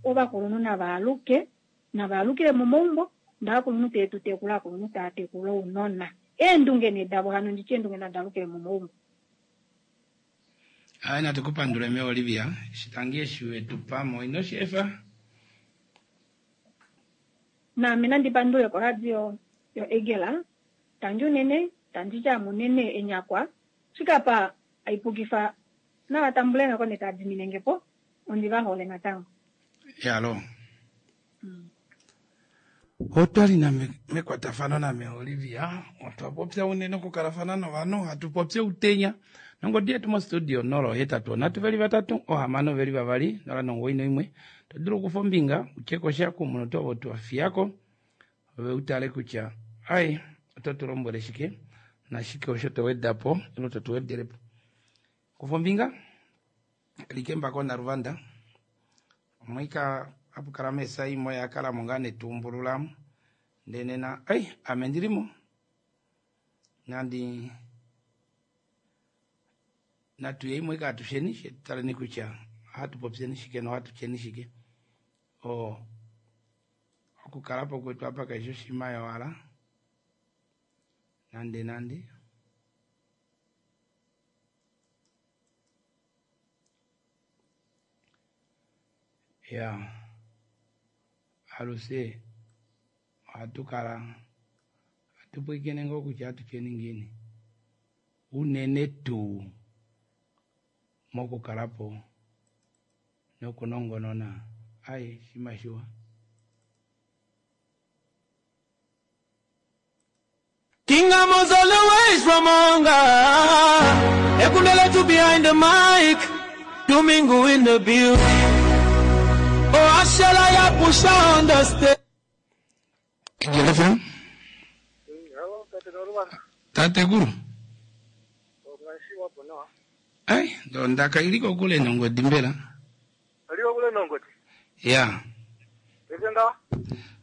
Ovakulunhu navaaluke navaalukile momaumbo ndaakulunhu tetu tekula akulunhu taa tekula ounona eendunge nee davo hano nditye eendunge nadaalukile momaumbo. Ai natukupandule me Olivia shitangi eshi wetu pamo ino shefa naame nandipandule koradio yo Egela tandi unene tandi tya munene enyakwa shikapa aipukifa navatambule ngako netadiminengepo ondi vahole natango. Yalo otwali na mekwatafano name Olivia otwa popya unene okukalafana novanhu hatu popya utenya nongodi yetu mostudio nolo hetatu onhatu veli vatatu ohamano veli vavali nola nongo ino imwe to dulu okufa ombinga utyekosha kumunhu ovo twafiyako ove utale kutya ai oto tu lombwele shike nashike osho to wedapo ile to tu wedelepo. Kufa ombinga likembako naluvanda omwika apukala mesa imwe yakala mo ngaa netumbululamo ndee nena ai ame ndilimo nandi natuye imwe katusheni shetutaleni kutya ohatu popyeni shike nohatu tyeni shike o okukalapo kwetu apa kaishi oshinima yowala nande nande ya aluse ohatu kala hatu pwiikine ngoo kutya hatu tyeni ngiini unene tuu mokukalapo nokunongonona ai shima shiwa. King Amos all the way from Onga Ekundele to behind the mic Domingo in the building Oh Ashala ya push on the stage. Hello, Tate Guru. Ai, ndondaka iliko kule nongodi mbela. Iliko kule nongodi? Ya. Pese ngawa?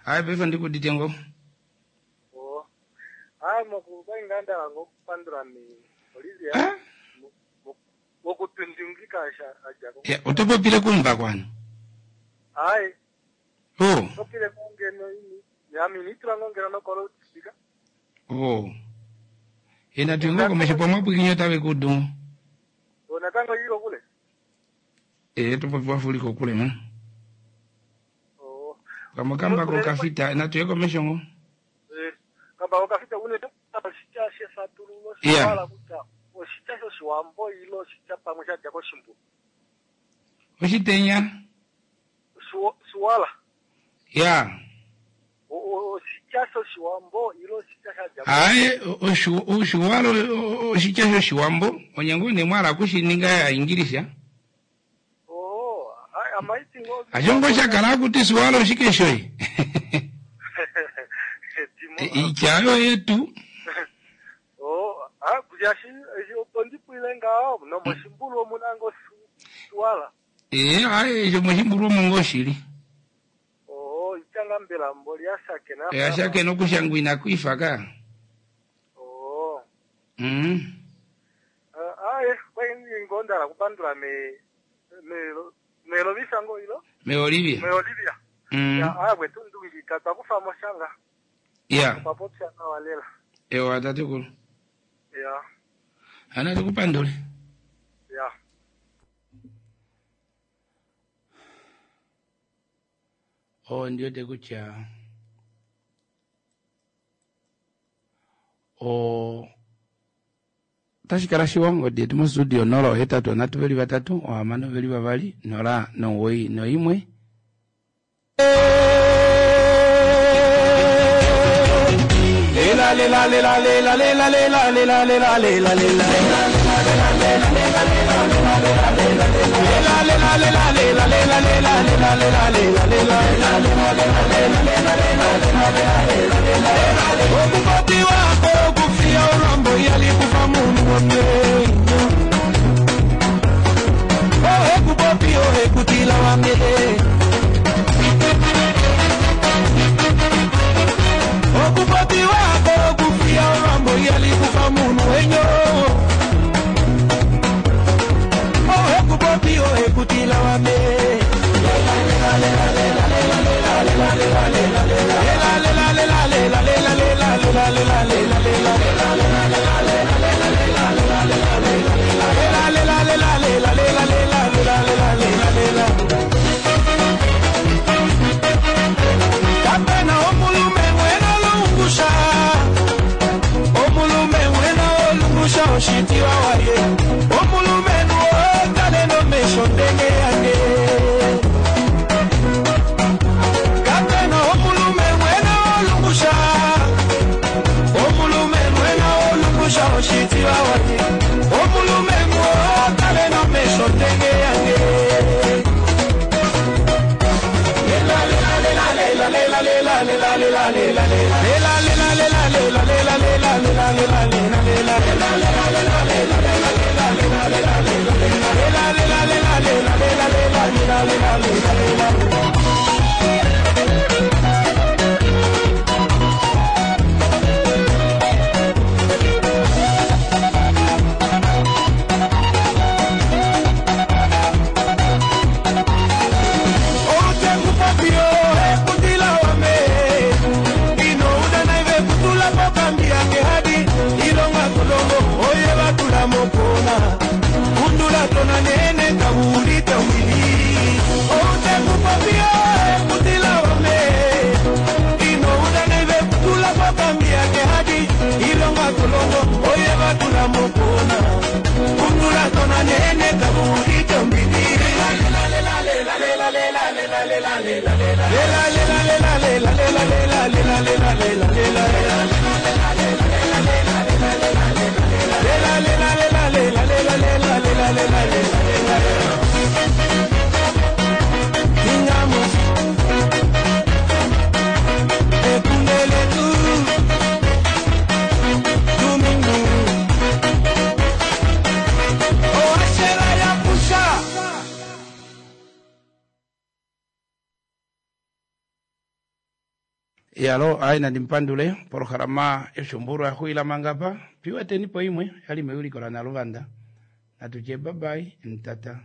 Ai, pefa ndikudite ngo. Oh. Ai, mokuba inganda ngokupandula mi Olivia. Eh? Mokutundungika aja. Ya, utopopile kumva kwanu. Ai. Oh. Topile kungeno ini. Ya minitra ngongera nokolo speaker. Oh. Ena tuingo komesho pomwe pwikinyo tawe kudu. Onatango ilo kule. Eh, tupopiwa fuliko kule ma. Oh. Kama kamba ko kafita na tuye komesho ngo. Eh, kamba ko kafita une oshitya shefatululo Yeah. shiwala kutya oshitya shoshiwambo ilo oshitya pamwe shadja koshimbu. Oshitenya. Shiwala. Ya. Oshitya shoshiwambo ilo oshitya shadja. Ai, oshu oshuwalo oshitya shoshiwambo onyango ne mwala kushininga ya English. Oh, ai amaiti ngo. Ashongo shakala kuti suwalo shikeshoi. Ichayo yetu. Oh, ah kujashi ondi ngao no moshimbulu omunango suwala. Eh, ai jo moshimbulu omungo shili. Oh, ichanga mbela mboli ashake na. Eh, ashake no kushangwina kuifaka. Oh. Mm. Ah, eh, kwenye ngondala kupandula me me me lovisa ngo ilo. Me Olivia. Me Olivia. Mm. Ya, ah bwetundungika takufa moshanga. Ya. Papopya na walela. Ewa tatekulu. Ya. Ana tukupandule. Ya. Oh, ndiyo tekutya. O Otashi kala shiwa ongodi yetu mostudio nola ohetatu onhatu veli vatatu ohamano veli vavali nola nomuwoi noimwe. Lela lela lela lela lela lela lela lela lela lela. Lela lela lela lela lela lela lela lela lela lela. Okupati wako kufia orambo yalikufa munhu wamwe. Oh ekupopi oh ekutila wamwe. Okupati wako kufia orambo yalikufa munhu wenyo. Oh ekupopi oh ekutila wamwe. Lela lela lela lela lela lela lela lela lela. Lela lela lela lela lela lela lela lela lela lela. Lela lela lela lela lela lela lela lela lela lela. Kapena omulume wena olungusha. Omulume wena olungusha oshitiwa waye. Omulume nuo kale nomesho ndenge yange. Kapena omulume wena olungusha. Omulume wena olungusha oshitiwa waye. Omulume nuo kale nomesho ndenge yange. Lela lela lela lela lela lela lela lela lela lela. Lela lela lela lela lela lela lela lela lela lela. Lela lela lela lela lela lela lela lela lela lela. Lela lela lela lela lela lela lela lela lela lela. Otekupapio ekutila wame. Ino udana ive kutula pokambi yake hadi. Ilonga kolongo oye batula mokona. Kundula tona nene kabulite umili. Otekupapio ekutila wame. Ino udana ive kutula pokambi yake hadi. Ilonga kolongo oye batula mokona. Kundula tona nene kabulite umili. Lela lela lela lela lela lela lela lela lela. Lela lela lela lela lela lela lela lela lela lela. Lela lela lela lela lela lela lela lela lela lela. Ingamos. Ekundele tu. Domingo. Oh, ashela ya pusha. Yalo ai nandi mpandule polohalama yoshumbulwa yaxuila mangapa piwetenipo imwe yali meuliko la Naluvanda natutye babai ntata.